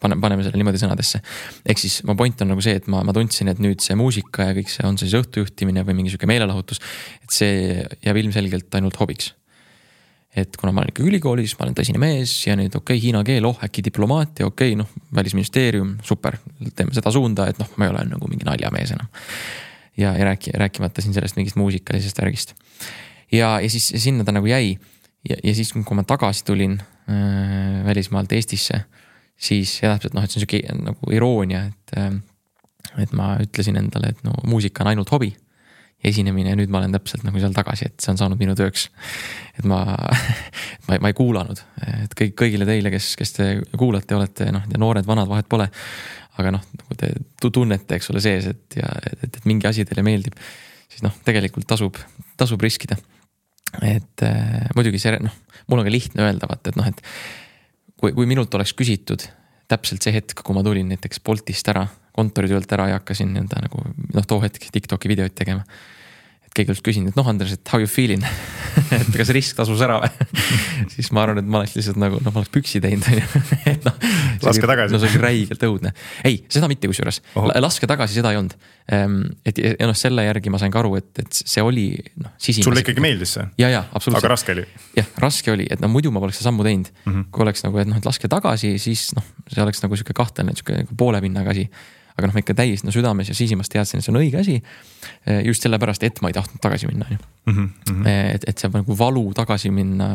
Paneme selle niimoodi sõnadesse. Ehk siis ma point on nagu see, et ma tundsin, et nüüd see muusika ja kõik see on siis õhtujuhtimine või mingi siuke meelelahutus, et see jääb ilmselgelt ainult hobiks. Et kuna ma olen ikka ülikoolis, ma olen tõsine mees ja nüüd hiina keel, äkki diplomaatia, välisministeerium, super, teeme seda suunda, et ma ei ole nagu mingi naljamees enam. Ja rääkimata siin sellest mingist muusikalisest värgist. Ja siis sinna ta nagu jäi. Ja siis, kui ma tagasi tulin välismaalt Eestisse, siis täpselt, et see on siuke nagu iroonia, et ma ütlesin endale, et muusika on ainult hobi ja esinemine ja nüüd ma olen täpselt nagu seal tagasi, et see on saanud minu tööks. Et ma ei kuulanud, et kõigile teile, kes te kuulate, olete noored, vanad, vahet pole, aga nagu te tunnete, eks ole sees, et mingi asi teile meeldib, siis tegelikult tasub riskida. Et muidugi see, mul on ka lihtne öelda, et kui minult oleks küsitud täpselt see hetk, kui ma tulin näiteks Boltist ära, kontoritöölt ära ja hakkasin nagu, too hetk TikToki videoid tegema. Et keegi oleks küsinud, et Andres, et how you feeling? Et kas risk tasus ära või? Siis ma arvan, et ma oleks lihtsalt nagu, ma oleks püksi teinud. Et laske tagasi. See oli räigelt õudne. Ei, seda mitte kusjuures. Laske tagasi, seda ei olnud. Et selle järgi ma sain ka aru, et see oli sisimas. Sulle ikkagi meeldis see? Ja, absoluutselt. Aga raske oli? Jah, raske oli, et muidu ma poleks seda sammu teinud. Kui oleks nagu, et laske tagasi, siis see oleks nagu siuke kahtlane, siuke poole pinnaga asi. Aga ma ikka täiesti südames ja sisimas teadsin, et see on õige asi. Just sellepärast, et ma ei tahtnud tagasi minna. Et see nagu valu tagasi minna,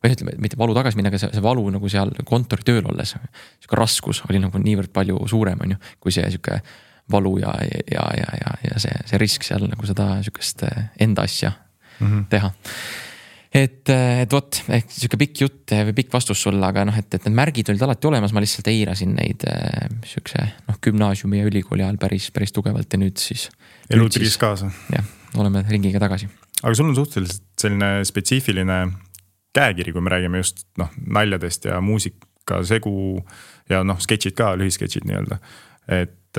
või ütleme, mitte valu tagasi minna, aga see valu nagu seal kontori tööl olles, siuke raskus oli nagu niivõrd palju suurem, kui see siuke valu ja see risk seal nagu seda siukest enda asja teha. Et vot, ehk siuke pikk jutt või pikk vastus sulle, aga et need märgid olid alati olemas, ma lihtsalt eirasin neid siukse gümnaasiumi ja ülikooli ajal päris tugevalt ja nüüd siis. Elu tris kaasa. Jah, oleme ringiga tagasi. Aga sul on suhteliselt selline spetsiifiline käekiri, kui me räägime just naljadest ja muusika segu ja sketšid ka, lühisketšid nii-öelda. Et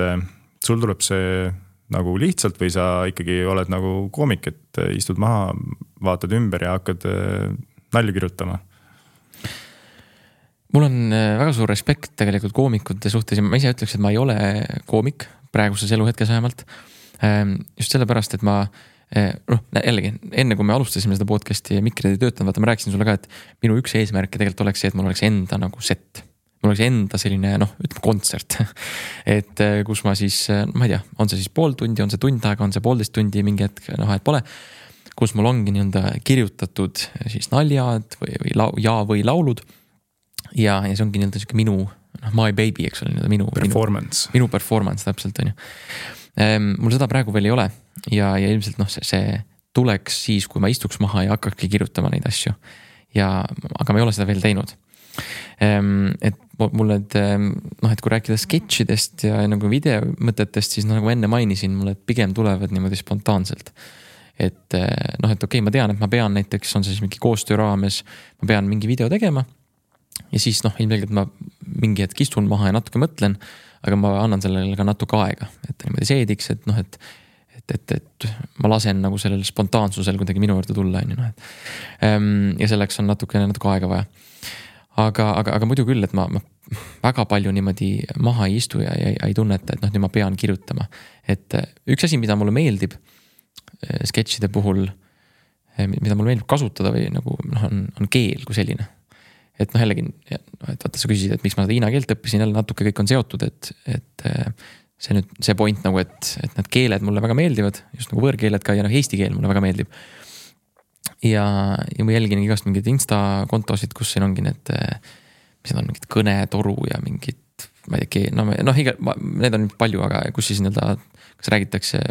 sul tuleb see nagu lihtsalt või sa ikkagi oled nagu koomik, et istud maha, vaatad ümber ja hakkad nalju kirjutama? Mul on väga suur respekt tegelikult koomikute suhtes ja ma ise ütleks, et ma ei ole koomik praeguses eluhetkes vähemalt. Just sellepärast, et ma jällegi, enne kui me alustasime seda podcasti ja mikrid ei töötanud, vaata ma rääkisin sulle ka, et minu üks eesmärk tegelikult oleks see, et mul oleks enda nagu set. mul oleks enda selline ütleme kontsert et kus ma siis, ma ei tea, on see siis pool tundi, on see tund aega, on see 1,5 tundi, mingi hetk, et pole, kus mul ongi nii-öelda kirjutatud siis naljad või laulud ja see ongi nii-öelda siuke minu my baby, eks ole, minu performance täpselt on ju. Mul seda praegu veel ei ole ja ilmselt see tuleks siis, kui ma istuks maha ja hakkakski kirjutama neid asju aga ma ei ole seda veel teinud. Et mul et kui rääkida sketšidest ja nagu videomõtetest, siis nagu enne mainisin, mulle pigem tulevad niimoodi spontaanselt. Et okei, ma tean, et ma pean näiteks, on see siis mingi koostöö raames, ma pean mingi video tegema ja siis ilmselgelt ma mingi hetk istun maha ja natuke mõtlen, aga ma annan sellele ka natuke aega, et niimoodi seediks, et ma lasen nagu sellel spontaansusel kuidagi minu juurde tulla, ja selleks on natuke aega vaja. Aga muidu küll, et ma väga palju niimoodi maha ei istu ja ei tunneta, et nüüd ma pean kirjutama. Et üks asi, mida mulle meeldib sketšide puhul, mida mulle meeldib kasutada või nagu on keel kui selline. Et jällegi, et vaata sa küsisid, et miks ma seda hiina keelt õppisin, jälle natuke kõik on seotud, et see nüüd see point nagu, et need keeled mulle väga meeldivad, just nagu võõrkeeled ka ja eesti keel mulle väga meeldib. Ja ma jälgin igast mingid Insta-kontosid, kus siin ongi need, mis on mingid kõnetoru ja mingid, ma ei tea, need on palju, aga kus siis kas räägitakse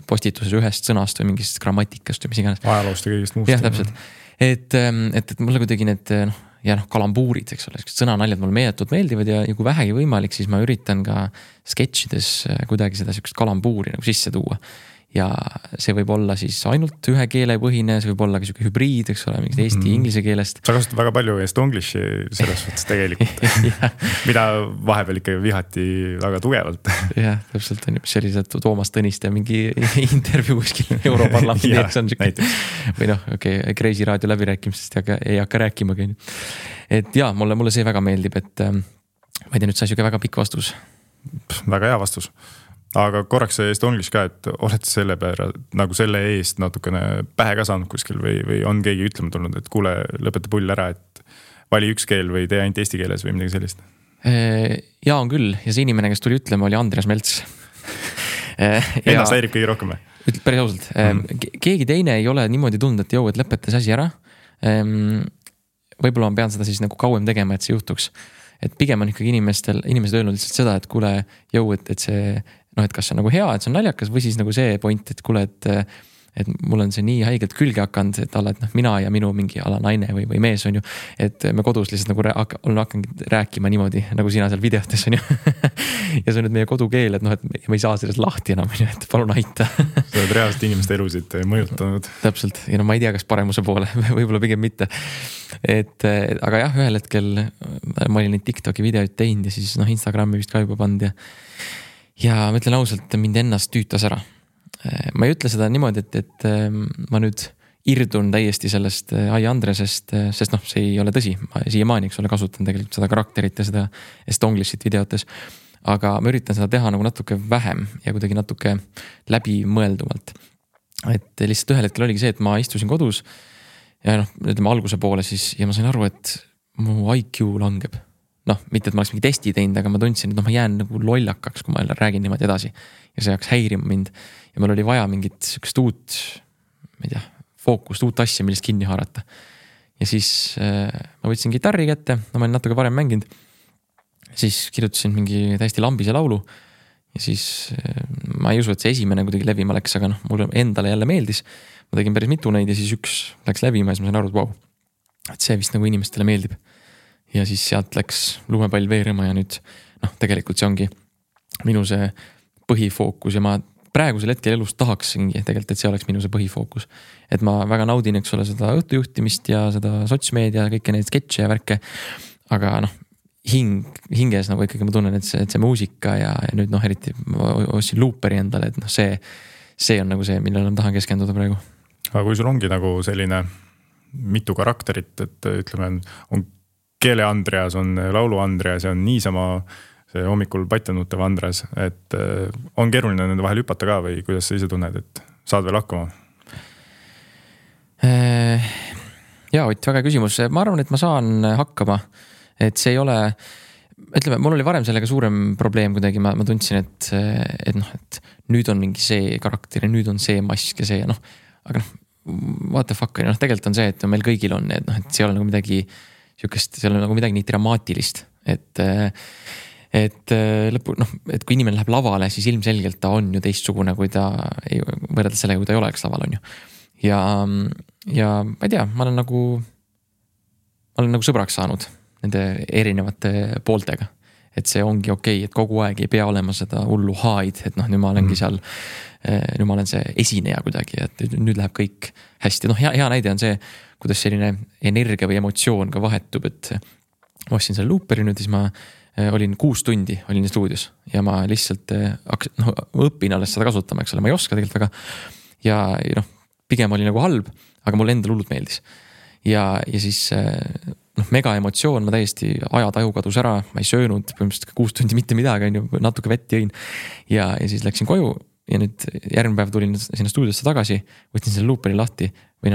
postituses ühest sõnast või mingist grammatikast või mis iganes. Ajaloost ja kõigist muust. Jah, täpselt. Et mulle kuidagi need kalambuurid, eks ole, sõnanaljad mulle meeldivad ja kui vähegi võimalik, siis ma üritan ka sketšides kuidagi seda sükest kalambuuri nagu sisse tuua. Ja see võib olla siis ainult ühe keele põhine, see võib olla ka siuke hübriid, eks ole, mingid eesti inglise keelest. Sa kasutad väga palju estonglishi selles suhtes tegelikult, mida vahepeal ikka vihati väga tugevalt. Jah, täpselt on ju, mis oli see Toomas Tõniste mingi intervjuu kuskil Europarlamendi ees on siuke. Või Kreisi raadio läbirääkimistest ei hakka rääkimagi. Et jaa, mulle see väga meeldib, et ma ei tea, nüüd sai siuke väga pikk vastus. Väga hea vastus. Aga korraks see estonglish ka, et oled selle peale nagu selle eest natukene pähe ka saanud kuskil või on keegi ütlema tulnud, et kuule, lõpeta pull ära, et vali üks keel või tee ainult eesti keeles või midagi sellist? Jaa, on küll. Ja see inimene, kes tuli ütlema, oli Andreas Melts. Ennast häirib kõige rohkem või? Päris ausalt. Keegi teine ei ole niimoodi tundnud, et et lõpetas asi ära. Võib-olla ma pean seda siis nagu kauem tegema, et see juhtuks. Et pigem on ikkagi inimesed öelnud lihtsalt seda, et kuule, et see et kas see on nagu hea, et see on naljakas või siis nagu see point, et kuule, et mul on see nii haigelt külge hakanud, et alla, et mina ja minu mingi ala naine või mees on ju, et me kodus lihtsalt nagu olen hakanud rääkima niimoodi, nagu sina seal videotes on ju. Ja see on nüüd meie kodukeel, et et me ei saa sellest lahti enam, et palun aita. Sa oled reaalselt inimeste elusid mõjutanud. Täpselt, ja ma ei tea, kas paremuse poole, võib-olla pigem mitte. Aga jah, ühel hetkel ma olin neid TikToki videoid teinud ja siis Instagrami vist ka juba pand ja ma ütlen ausalt, mind ennast tüütas ära. Ma ei ütle seda niimoodi, et ma nüüd irdun täiesti sellest Ai Andresest, sest see ei ole tõsi. Ma siiamaani, eks ole, kasutan tegelikult seda karakterit ja seda estonglishit videotes. Aga ma üritan seda teha nagu natuke vähem ja kuidagi natuke läbimõeldumalt. Et lihtsalt ühel hetkel oligi see, et ma istusin kodus ja ütleme alguse poole siis ja ma sain aru, et mu IQ langeb. Mitte, et ma oleks mingi testi teinud, aga ma tundsin, et ma jään nagu lollakaks, kui ma räägin niimoodi edasi. Ja see hakkas häirima mind. Ja mul oli vaja mingit sükest uut, ma ei tea, fookust, uut asja, millest kinni haarata. Ja siis ma võtsin gitarri kätte, ma olen natuke varem mänginud. Siis kirjutasin mingi täiesti lambise laulu. Ja siis ma ei usu, et see esimene kuidagi levima läks, aga mulle endale jälle meeldis. Ma tegin päris mitu neid ja siis üks läks levima ja siis ma sain aru, et vau, et see vist nagu inimestele meeldib. Ja siis sealt läks lumepall veerema ja nüüd tegelikult see ongi minu see põhifookus ja ma praegusel hetkel elus tahaksingi tegelikult, et see oleks minu see põhifookus. Et ma väga naudin, eks ole, seda õhtujuhtimist ja seda sotsmeedia ja kõike neid sketše ja värke. Aga hinges nagu ikkagi ma tunnen, et see muusika ja nüüd eriti ma ostsin looperi endale, et see on nagu see, millele ma tahan keskenduda praegu. Aga kui sul ongi nagu selline mitu karakterit, et ütleme, on keele Andreas, on laulu Andreas ja on niisama see hommikul patjanutev Andreas, et on keeruline nende vahel hüpata ka või kuidas sa ise tunned, et saad veel hakkama? Jaa, Ott, väga küsimus. Ma arvan, et ma saan hakkama, et see ei ole ütleme, mul oli varem sellega suurem probleem kuidagi, ma tundsin, et nüüd on mingi see karakter ja nüüd on see mask ja see ja aga what the fuck, tegelikult on see, et meil kõigil on need, et see ei ole nagu midagi sihukest, seal on nagu midagi nii dramaatilist, et lõpu, et kui inimene läheb lavale, siis ilmselgelt ta on ju teistsugune, kui ta võrreldes sellega, kui ta ei oleks laval, on ju. Ja ma ei tea, ma olen nagu sõbraks saanud nende erinevate pooltega. Et see ongi okei, et kogu aeg ei pea olema seda hullu haid, et nüüd ma olengi seal, nüüd ma olen see esineja kuidagi, et nüüd läheb kõik hästi. Hea näide on see, kuidas selline energia või emotsioon ka vahetub, et ma ostsin selle Looperi nüüd, siis ma olin 6 tundi, olin stuudios ja ma lihtsalt õpin alles seda kasutama, eks ole, ma ei oska tegelikult väga. Ja pigem oli nagu halb, aga mulle endal hullult meeldis. Ja siis mega emotsioon, ma täiesti ajataju kadus ära, ma ei söönud põhimõtteliselt 6 tundi mitte midagi, natuke vett jõin ja siis läksin koju ja nüüd järgmine päev tulin sinna stuudiosse tagasi, võtsin selle Looperi lahti või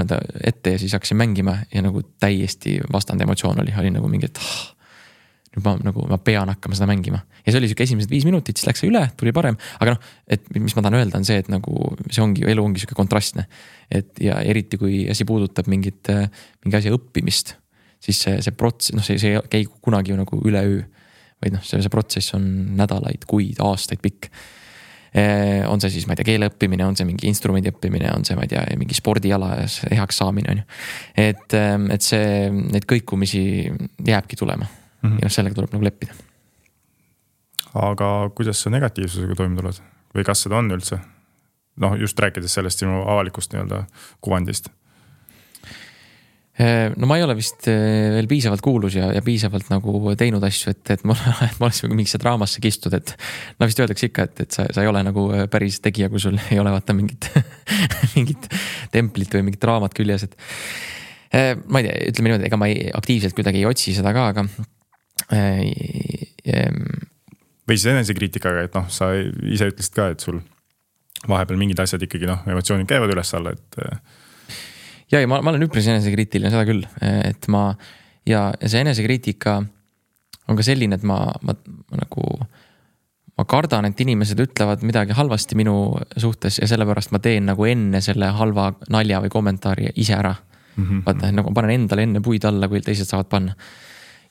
ette ja siis hakkasin mängima ja nagu täiesti vastand emotsioon oli nagu mingi, et nüüd ma pean hakkama seda mängima. Ja see oli siuke esimesed 5 minutit, siis läks see üle, tuli parem, aga et mis ma tahan öelda on see, et nagu see ongi, elu ongi siuke kontrastne. Et ja eriti kui asi puudutab mingi asja õppimist, siis see protsess, see ei käi kunagi ju nagu üleöö, vaid see protsess on nädalaid, kuid, aastaid pikk. On see siis, ma ei tea, keele õppimine, on see mingi instrumendi õppimine, on see, ma ei tea, mingi spordiala heaks saamine, on ju. Et see, neid kõikumisi jääbki tulema ja sellega tuleb nagu leppida. Aga kuidas sa negatiivsusega toime tuled? Või kas seda on üldse? Just rääkides sellest sinu avalikust kuvandist. No ma ei ole vist veel piisavalt kuulus ja piisavalt nagu teinud asju, et ma oleks mingisse draamasse kistud, et vist öeldakse ikka, et sa ei ole nagu päris tegija, kui sul ei ole vaata mingit templit või mingit draamat küljes, et ma ei tea, ütleme niimoodi, ega ma aktiivselt kuidagi ei otsi seda ka, aga või siis enesekriitikaga, et sa ise ütlesid ka, et sul vahepeal mingid asjad ikkagi emotsioonid käivad üles alla, et ja ma olen üpris enesekriitiline, seda küll, et ja see enesekriitika on ka selline, et ma kardan, et inimesed ütlevad midagi halvasti minu suhtes ja sellepärast ma teen nagu enne selle halva nalja või kommentaari ise ära. Vaata, nagu panen endale enne puid alla, kui teised saavad panna.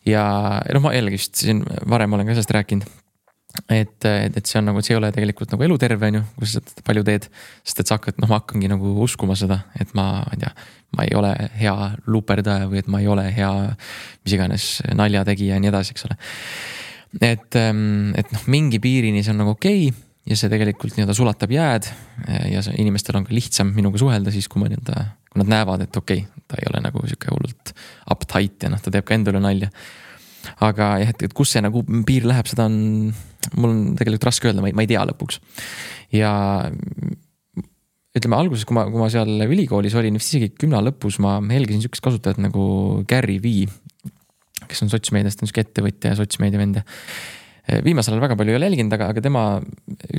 Ja ma jällegi vist siin varem olen ka sellest rääkinud, et see on nagu, et see ei ole tegelikult nagu eluterve, kui sa seda palju teed, sest et sa hakkad, ma hakkangi nagu uskuma seda, et ma ei ole hea luuperdaja või et ma ei ole hea mis iganes naljategija ja nii edasi, eks ole. Et mingi piirini see on nagu okei ja see tegelikult sulatab jääd ja inimestel on ka lihtsam minuga suhelda siis, kui nad näevad, et okei, ta ei ole nagu siuke hullult uptight ja ta teeb ka endale nalja. Aga jah, et kus see nagu piir läheb, seda on, mul on tegelikult raske öelda, ma ei tea lõpuks. Ja ütleme alguses, kui ma seal ülikoolis olin, isegi 10 lõpus ma helgisin sükest kasutajat nagu Gary Vee, kes on sotsmeediast, on siuke ettevõtja ja sotsmeedia vend. Viimasel ajal väga palju ei ole jälginud, aga tema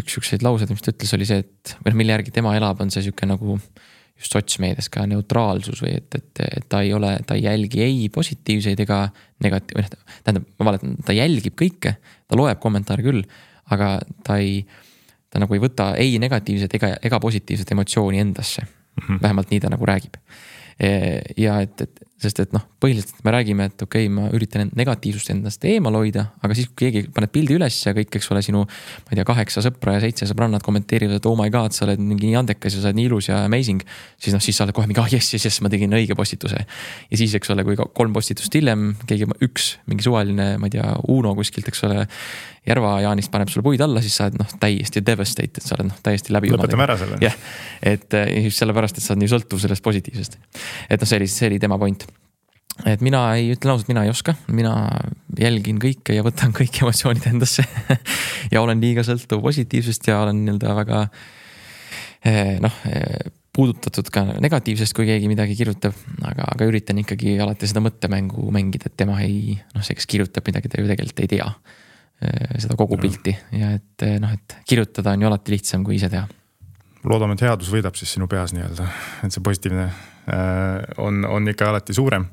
üks sükseid laused, mis ta ütles, oli see, et mille järgi tema elab, on see siuke nagu just sotsmeedias ka neutraalsus või et ta ei jälgi ei positiivseid ega negatiivseid, tähendab, ma valetan, ta jälgib kõike, ta loeb kommentaare küll, aga ta nagu ei võta ei negatiivset ega positiivset emotsiooni endasse. Vähemalt nii ta nagu räägib. Ja sest põhiliselt me räägime, et okei, ma üritan negatiivsust endast eemal hoida, aga siis kui keegi paneb pildi üles ja kõik, eks ole, sinu, ma ei tea, 8 sõpra ja 7 sõbrannad kommenteerivad, et oh my god, sa oled mingi nii andekas ja sa oled nii ilus ja amazing, siis sa oled kohe mingi, yes, ma tegin õige postituse. Ja siis, eks ole, kui 3 postitust hiljem, keegi mingi suvaline, ma ei tea, Uno kuskilt, eks ole, Järva Jaanist paneb sulle puid alla, siis sa oled täiesti devastated, sa oled täiesti läbi. Lõpetame ära selle. Jah, et just sellepärast, et sa oled nii sõltuv sellest positiivsest. Et see oli tema point. Et mina ei ütle ausalt, mina ei oska, mina jälgin kõike ja võtan kõik emotsioonid endasse ja olen liiga sõltuv positiivsest ja olen väga puudutatud ka negatiivsest, kui keegi midagi kirjutab, aga üritan ikkagi alati seda mõttemängu mängida, et tema see, kes kirjutab midagi, ta ju tegelikult ei tea seda kogu pilti ja et kirjutada on ju alati lihtsam kui ise teha. Loodame, et headus võidab siis sinu peas nii-öelda, et see positiivne on ikka alati suurem.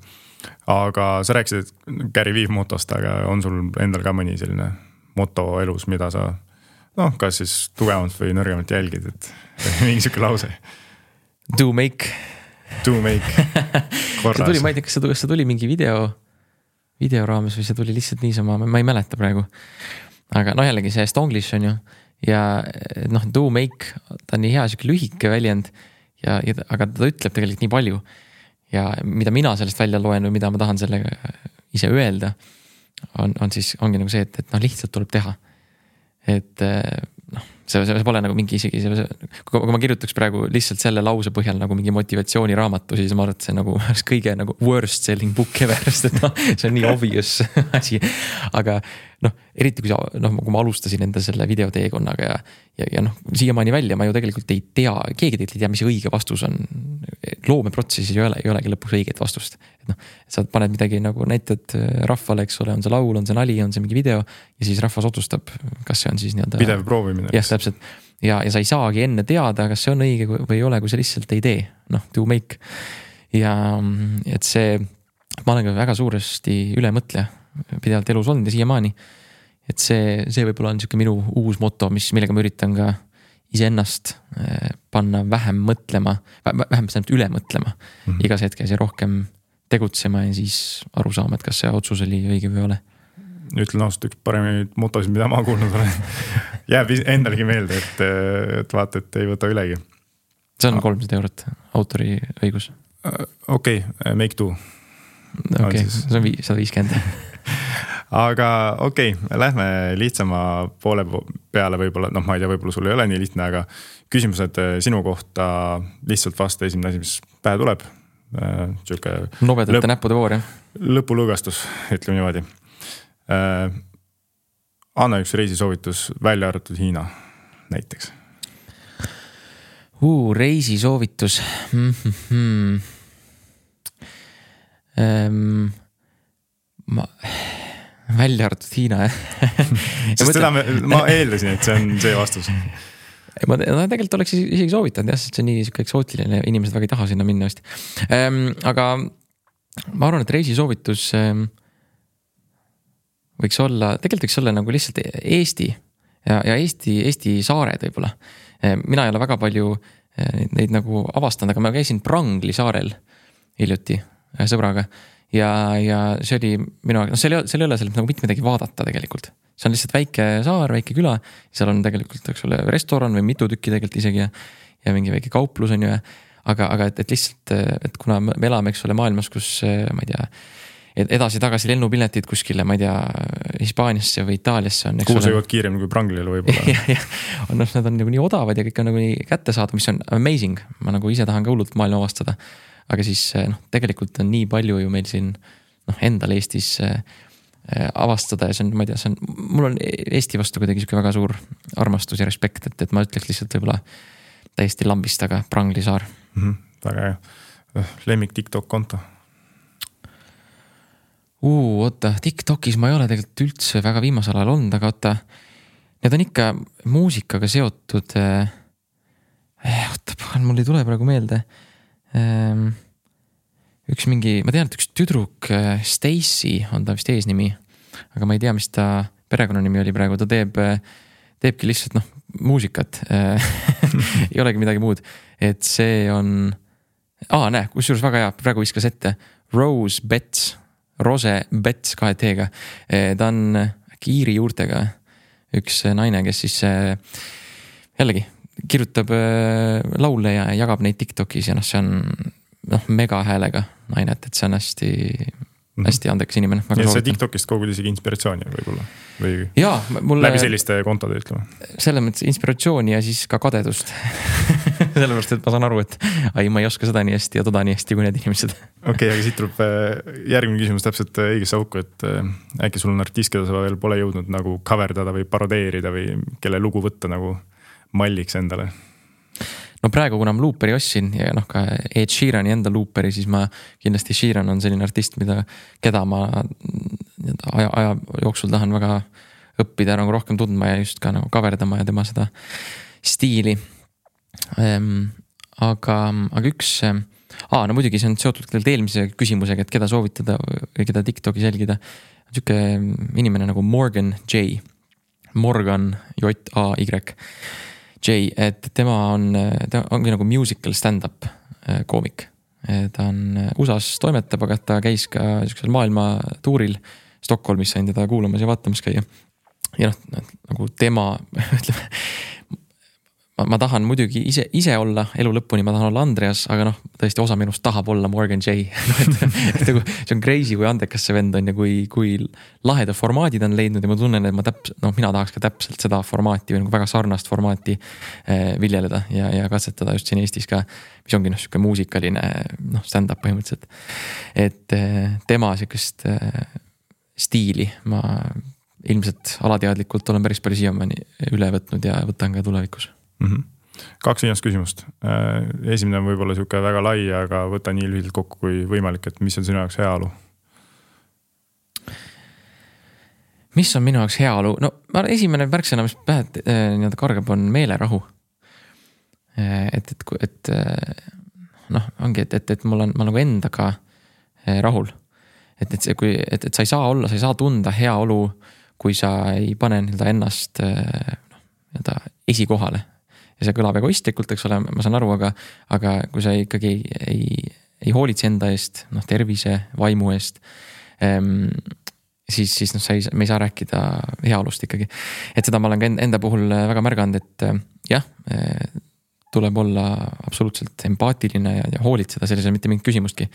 aga sa rääkisid, et Gary Vee motost, aga on sul endal ka mõni selline moto elus, mida sa kas siis tugevamalt või nõrgemalt jälgid, et mingi siuke lause? Do make korras. See tuli, ma ei tea, kas see tuli mingi video raames või see tuli lihtsalt niisama, ma ei mäleta praegu. Aga jällegi see Stonglish on ju ja do make, ta on nii hea siuke lühike väljend aga ta ütleb tegelikult nii palju ja mida mina sellest välja loen või mida ma tahan sellega ise öelda ongi nagu see, et lihtsalt tuleb teha. Et see pole nagu mingi isegi, kui ma kirjutaks praegu lihtsalt selle lause põhjal nagu mingi motivatsiooniraamatu, siis ma arvan, et see nagu kõige nagu worst selling book ever, sest see on nii obvious asi. Aga eriti kui ma alustasin enda selle videoteekonnaga ja siiamaani välja ma ju tegelikult ei tea, keegi tegelikult ei tea, mis õige vastus on. Loomeprotsessis ei olegi lõpuks õiget vastust. Sa paned midagi nagu näitad rahvale, eks ole, on see laul, on see nali, on see mingi video ja siis rahvas otsustab, kas see on siis nii-öelda pidev proovimine. Jah, täpselt. Ja sa ei saagi enne teada, kas see on õige või ei ole, kui sa lihtsalt ei tee. Do make. Ja et see, ma olen ka väga suuresti ülemõtleja pidevalt elus olnud ja siiamaani. Et see võib-olla on siuke minu uus moto, millega ma üritan ka iseennast panna vähem mõtlema, vähem üle mõtlema igas hetkes ja rohkem tegutsema ja siis aru saama, et kas see otsus oli õige või ole. Ütlen ausalt, üks paremaid motosid, mida ma kuulnud olen. Jääb endalegi meelde, et vaata, et ei võta ülegi. See on 300 eurot autori õigus. Okei, make do. Okei, see on 150. Aga okei, lähme lihtsama poole peale võib-olla, ma ei tea, võib-olla sul ei ole nii lihtne, aga küsimused sinu kohta lihtsalt vasta esimene asi, mis pähe tuleb. Nobedate näppude voor, jah? Lõpulõgastus, ütleme niimoodi. Anna üks reisisoovitus välja arvatud Hiina näiteks. Reisisoovitus. Välja arvatud Hiina, Sest seda ma eeldasin, et see on see vastus. Ma tegelikult oleks isegi soovitanud, sest see on nii eksootiline, inimesed väga ei taha sinna minna vist. Aga ma arvan, et reisisoovitus võiks olla nagu lihtsalt Eesti ja Eesti saared võib-olla. Mina ei ole väga palju neid nagu avastanud, aga ma käisin Prangli saarel hiljuti sõbraga ja see oli minu aeg, seal ei ole seal nagu mitte midagi vaadata tegelikult. See on lihtsalt väike saar, väike küla, seal on tegelikult restoran või mitu tükki tegelikult isegi ja mingi väike kauplus on ju. Aga et lihtsalt, et kuna me elame, eks ole, maailmas, kus ma ei tea, edasi-tagasi lennupiletid kuskile, ma ei tea, Hispaaniasse või Itaaliasse on. Kuhu sa jõuad kiiremini kui Pranglile võib-olla. Nad on nagu nii odavad ja kõik on nagu nii kätte saada, mis on amazing. Ma nagu ise tahan ka hullult maailma avastada. Aga siis tegelikult on nii palju ju meil siin endal Eestis avastada ja see on, ma ei tea, mul on Eesti vastu kuidagi siuke väga suur armastus ja respekt, et ma ütleks lihtsalt võib-olla täiesti lambist, aga Prangli saar. Väga hea. Lemmik TikTok konto. Oota, TikTokis ma ei ole tegelikult üldse väga viimasel ajal olnud, aga oota, need on ikka muusikaga seotud. Mul ei tule praegu meelde. Üks mingi, ma tean, et üks tüdruk Stacy on ta vist eesnimi, aga ma ei tea, mis ta perekonnanimi oli praegu, ta teebki lihtsalt muusikat. Ei olegi midagi muud, et see on kusjuures väga hea, praegu viskas ette Rose Betts 2 T-ga. Ta on Kiiri juurtega üks naine, kes siis jällegi kirjutab laule ja jagab neid TikTokis ja see on mega häälega naine, et see on hästi andekas inimene. Ja see TikTokist kogud isegi inspiratsiooni võib-olla? Või läbi selliste kontode ütleme? Selles mõttes inspiratsiooni ja siis ka kadedust. Sellepärast, et ma saan aru, et ma ei oska seda nii hästi ja toda nii hästi kui need inimesed. Okei, aga siit tuleb järgmine küsimus täpselt õigesse auku, et äkki sul on artist, keda sa veel pole jõudnud nagu coverdada või parodeerida või kelle lugu võtta nagu malliks endale? No praegu, kuna ma looperi ostsin ja ka Ed Sheerani enda looperi, siis ma kindlasti Sheeran on selline artist, keda ma aja jooksul tahan väga õppida nagu rohkem tundma ja just ka nagu coverdama ja tema seda stiili. Aga üks No muidugi see on seotud eelmise küsimusega, et keda soovitada või keda TikTokis jälgida. Siuke inimene nagu Morgan J, J-A-Y, et tema ongi nagu musical stand-up koomik. Ta on USA's toimetab, aga ta käis ka siuksel maailma tuuril Stockholmis, sain teda kuulamas ja vaatamas käia. Ja nagu tema, ütleme, ma tahan muidugi ise olla elu lõpuni, ma tahan olla Andreas, aga tõesti osa minust tahab olla Morgan J. See on crazy, kui andekas see vend on ja kui laheda formaadid on leidnud ja ma tunnen, et mina tahaks ka täpselt seda formaati või nagu väga sarnast formaati viljeleda ja katsetada just siin Eestis ka, mis ongi siuke muusikaline stand-up põhimõtteliselt. Et tema siukest stiili ma ilmselt alateadlikult olen päris palju siiamaani üle võtnud ja võtan ka tulevikus. 2 viimast küsimust. Esimene on võib-olla siuke väga lai, aga võta nii lühidalt kokku kui võimalik, et mis on sinu jaoks heaolu? Mis on minu jaoks heaolu? Esimene märksõna, mis pähe kargab, on meelerahu. Ongi, et ma olen nagu endaga rahul. Et sa ei saa tunda heaolu, kui sa ei pane ennast esikohale. Ja see kõlab egoistlikult, eks ole, ma saan aru, aga kui sa ikkagi ei hoolitse enda eest, tervise, vaimu eest, siis me ei saa rääkida heaolust ikkagi. Et seda ma olen ka enda puhul väga märganud, et jah, tuleb olla absoluutselt empaatiline ja hoolitseda sellisel mitte mingit küsimustki.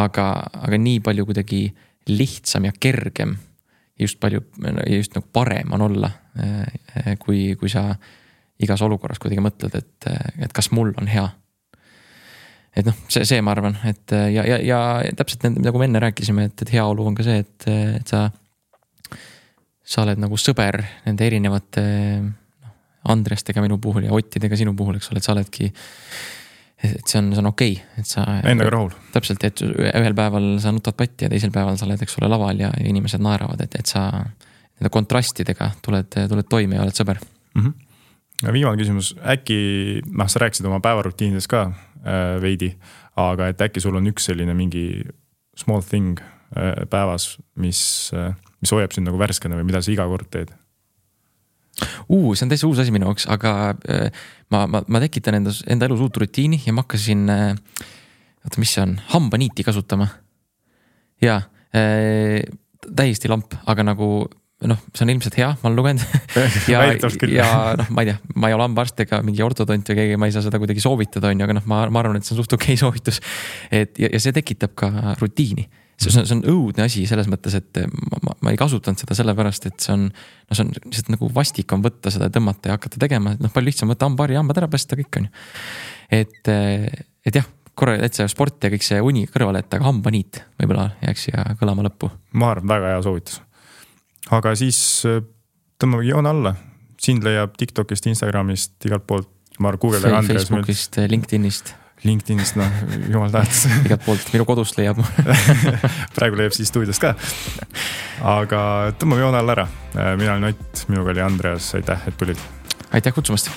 Aga nii palju kuidagi lihtsam ja kergem ja just nagu parem on olla, kui sa igas olukorras kuidagi mõtled, et kas mul on hea. Et see ma arvan, et ja täpselt nagu me enne rääkisime, et heaolu on ka see, et sa oled nagu sõber nende erinevate Andrestega minu puhul ja Ottidega sinu puhul, eks ole, et sa oledki, et see on okei, et sa endaga rahul. Täpselt, et ühel päeval sa nutad patti ja teisel päeval sa oled, eks ole, laval ja inimesed naeravad, et sa nende kontrastidega tuled toime ja oled sõber. Viimane küsimus, äkki, sa rääkisid oma päevarutiinides ka veidi, aga et äkki sul on üks selline mingi small thing päevas, mis hoiab sind nagu värskena või mida sa iga kord teed? See on täitsa uus asi minu jaoks, aga ma tekitan enda elus uut rutiini ja ma hakkasin, mis see on, hambaniiti kasutama. Ja täiesti lamp, aga nagu see on ilmselt hea, ma olen lugenud ja ma ei tea, ma ei ole hambaarst ega mingi ortodont või keegi, ma ei saa seda kuidagi soovitada, aga ma arvan, et see on suht okei soovitus. Ja see tekitab ka rutiini. See on õudne asi selles mõttes, et ma ei kasutanud seda sellepärast, et see on lihtsalt nagu vastik on võtta seda, tõmmata ja hakata tegema, palju lihtsam võtta hambaari, hambad ära päästa, kõik on ju. Et jah, korra, et see sport ja kõik see uni kõrvale, et aga hambaniit võib-olla jääks ja kõlama lõppu. Ma arvan, väga hea soovitus. Aga siis tõmbame joon alla. Sind leiab TikTokist, Instagramist, igalt poolt. Facebookist, LinkedInist, jumal tahtis. Igalt poolt, minu kodust leiab. Praegu leiab siis stuudiost ka. Aga tõmbame joon alla ära. Mina olen Ott, minuga oli Andreas. Aitäh, et tulid. Aitäh kutsumast.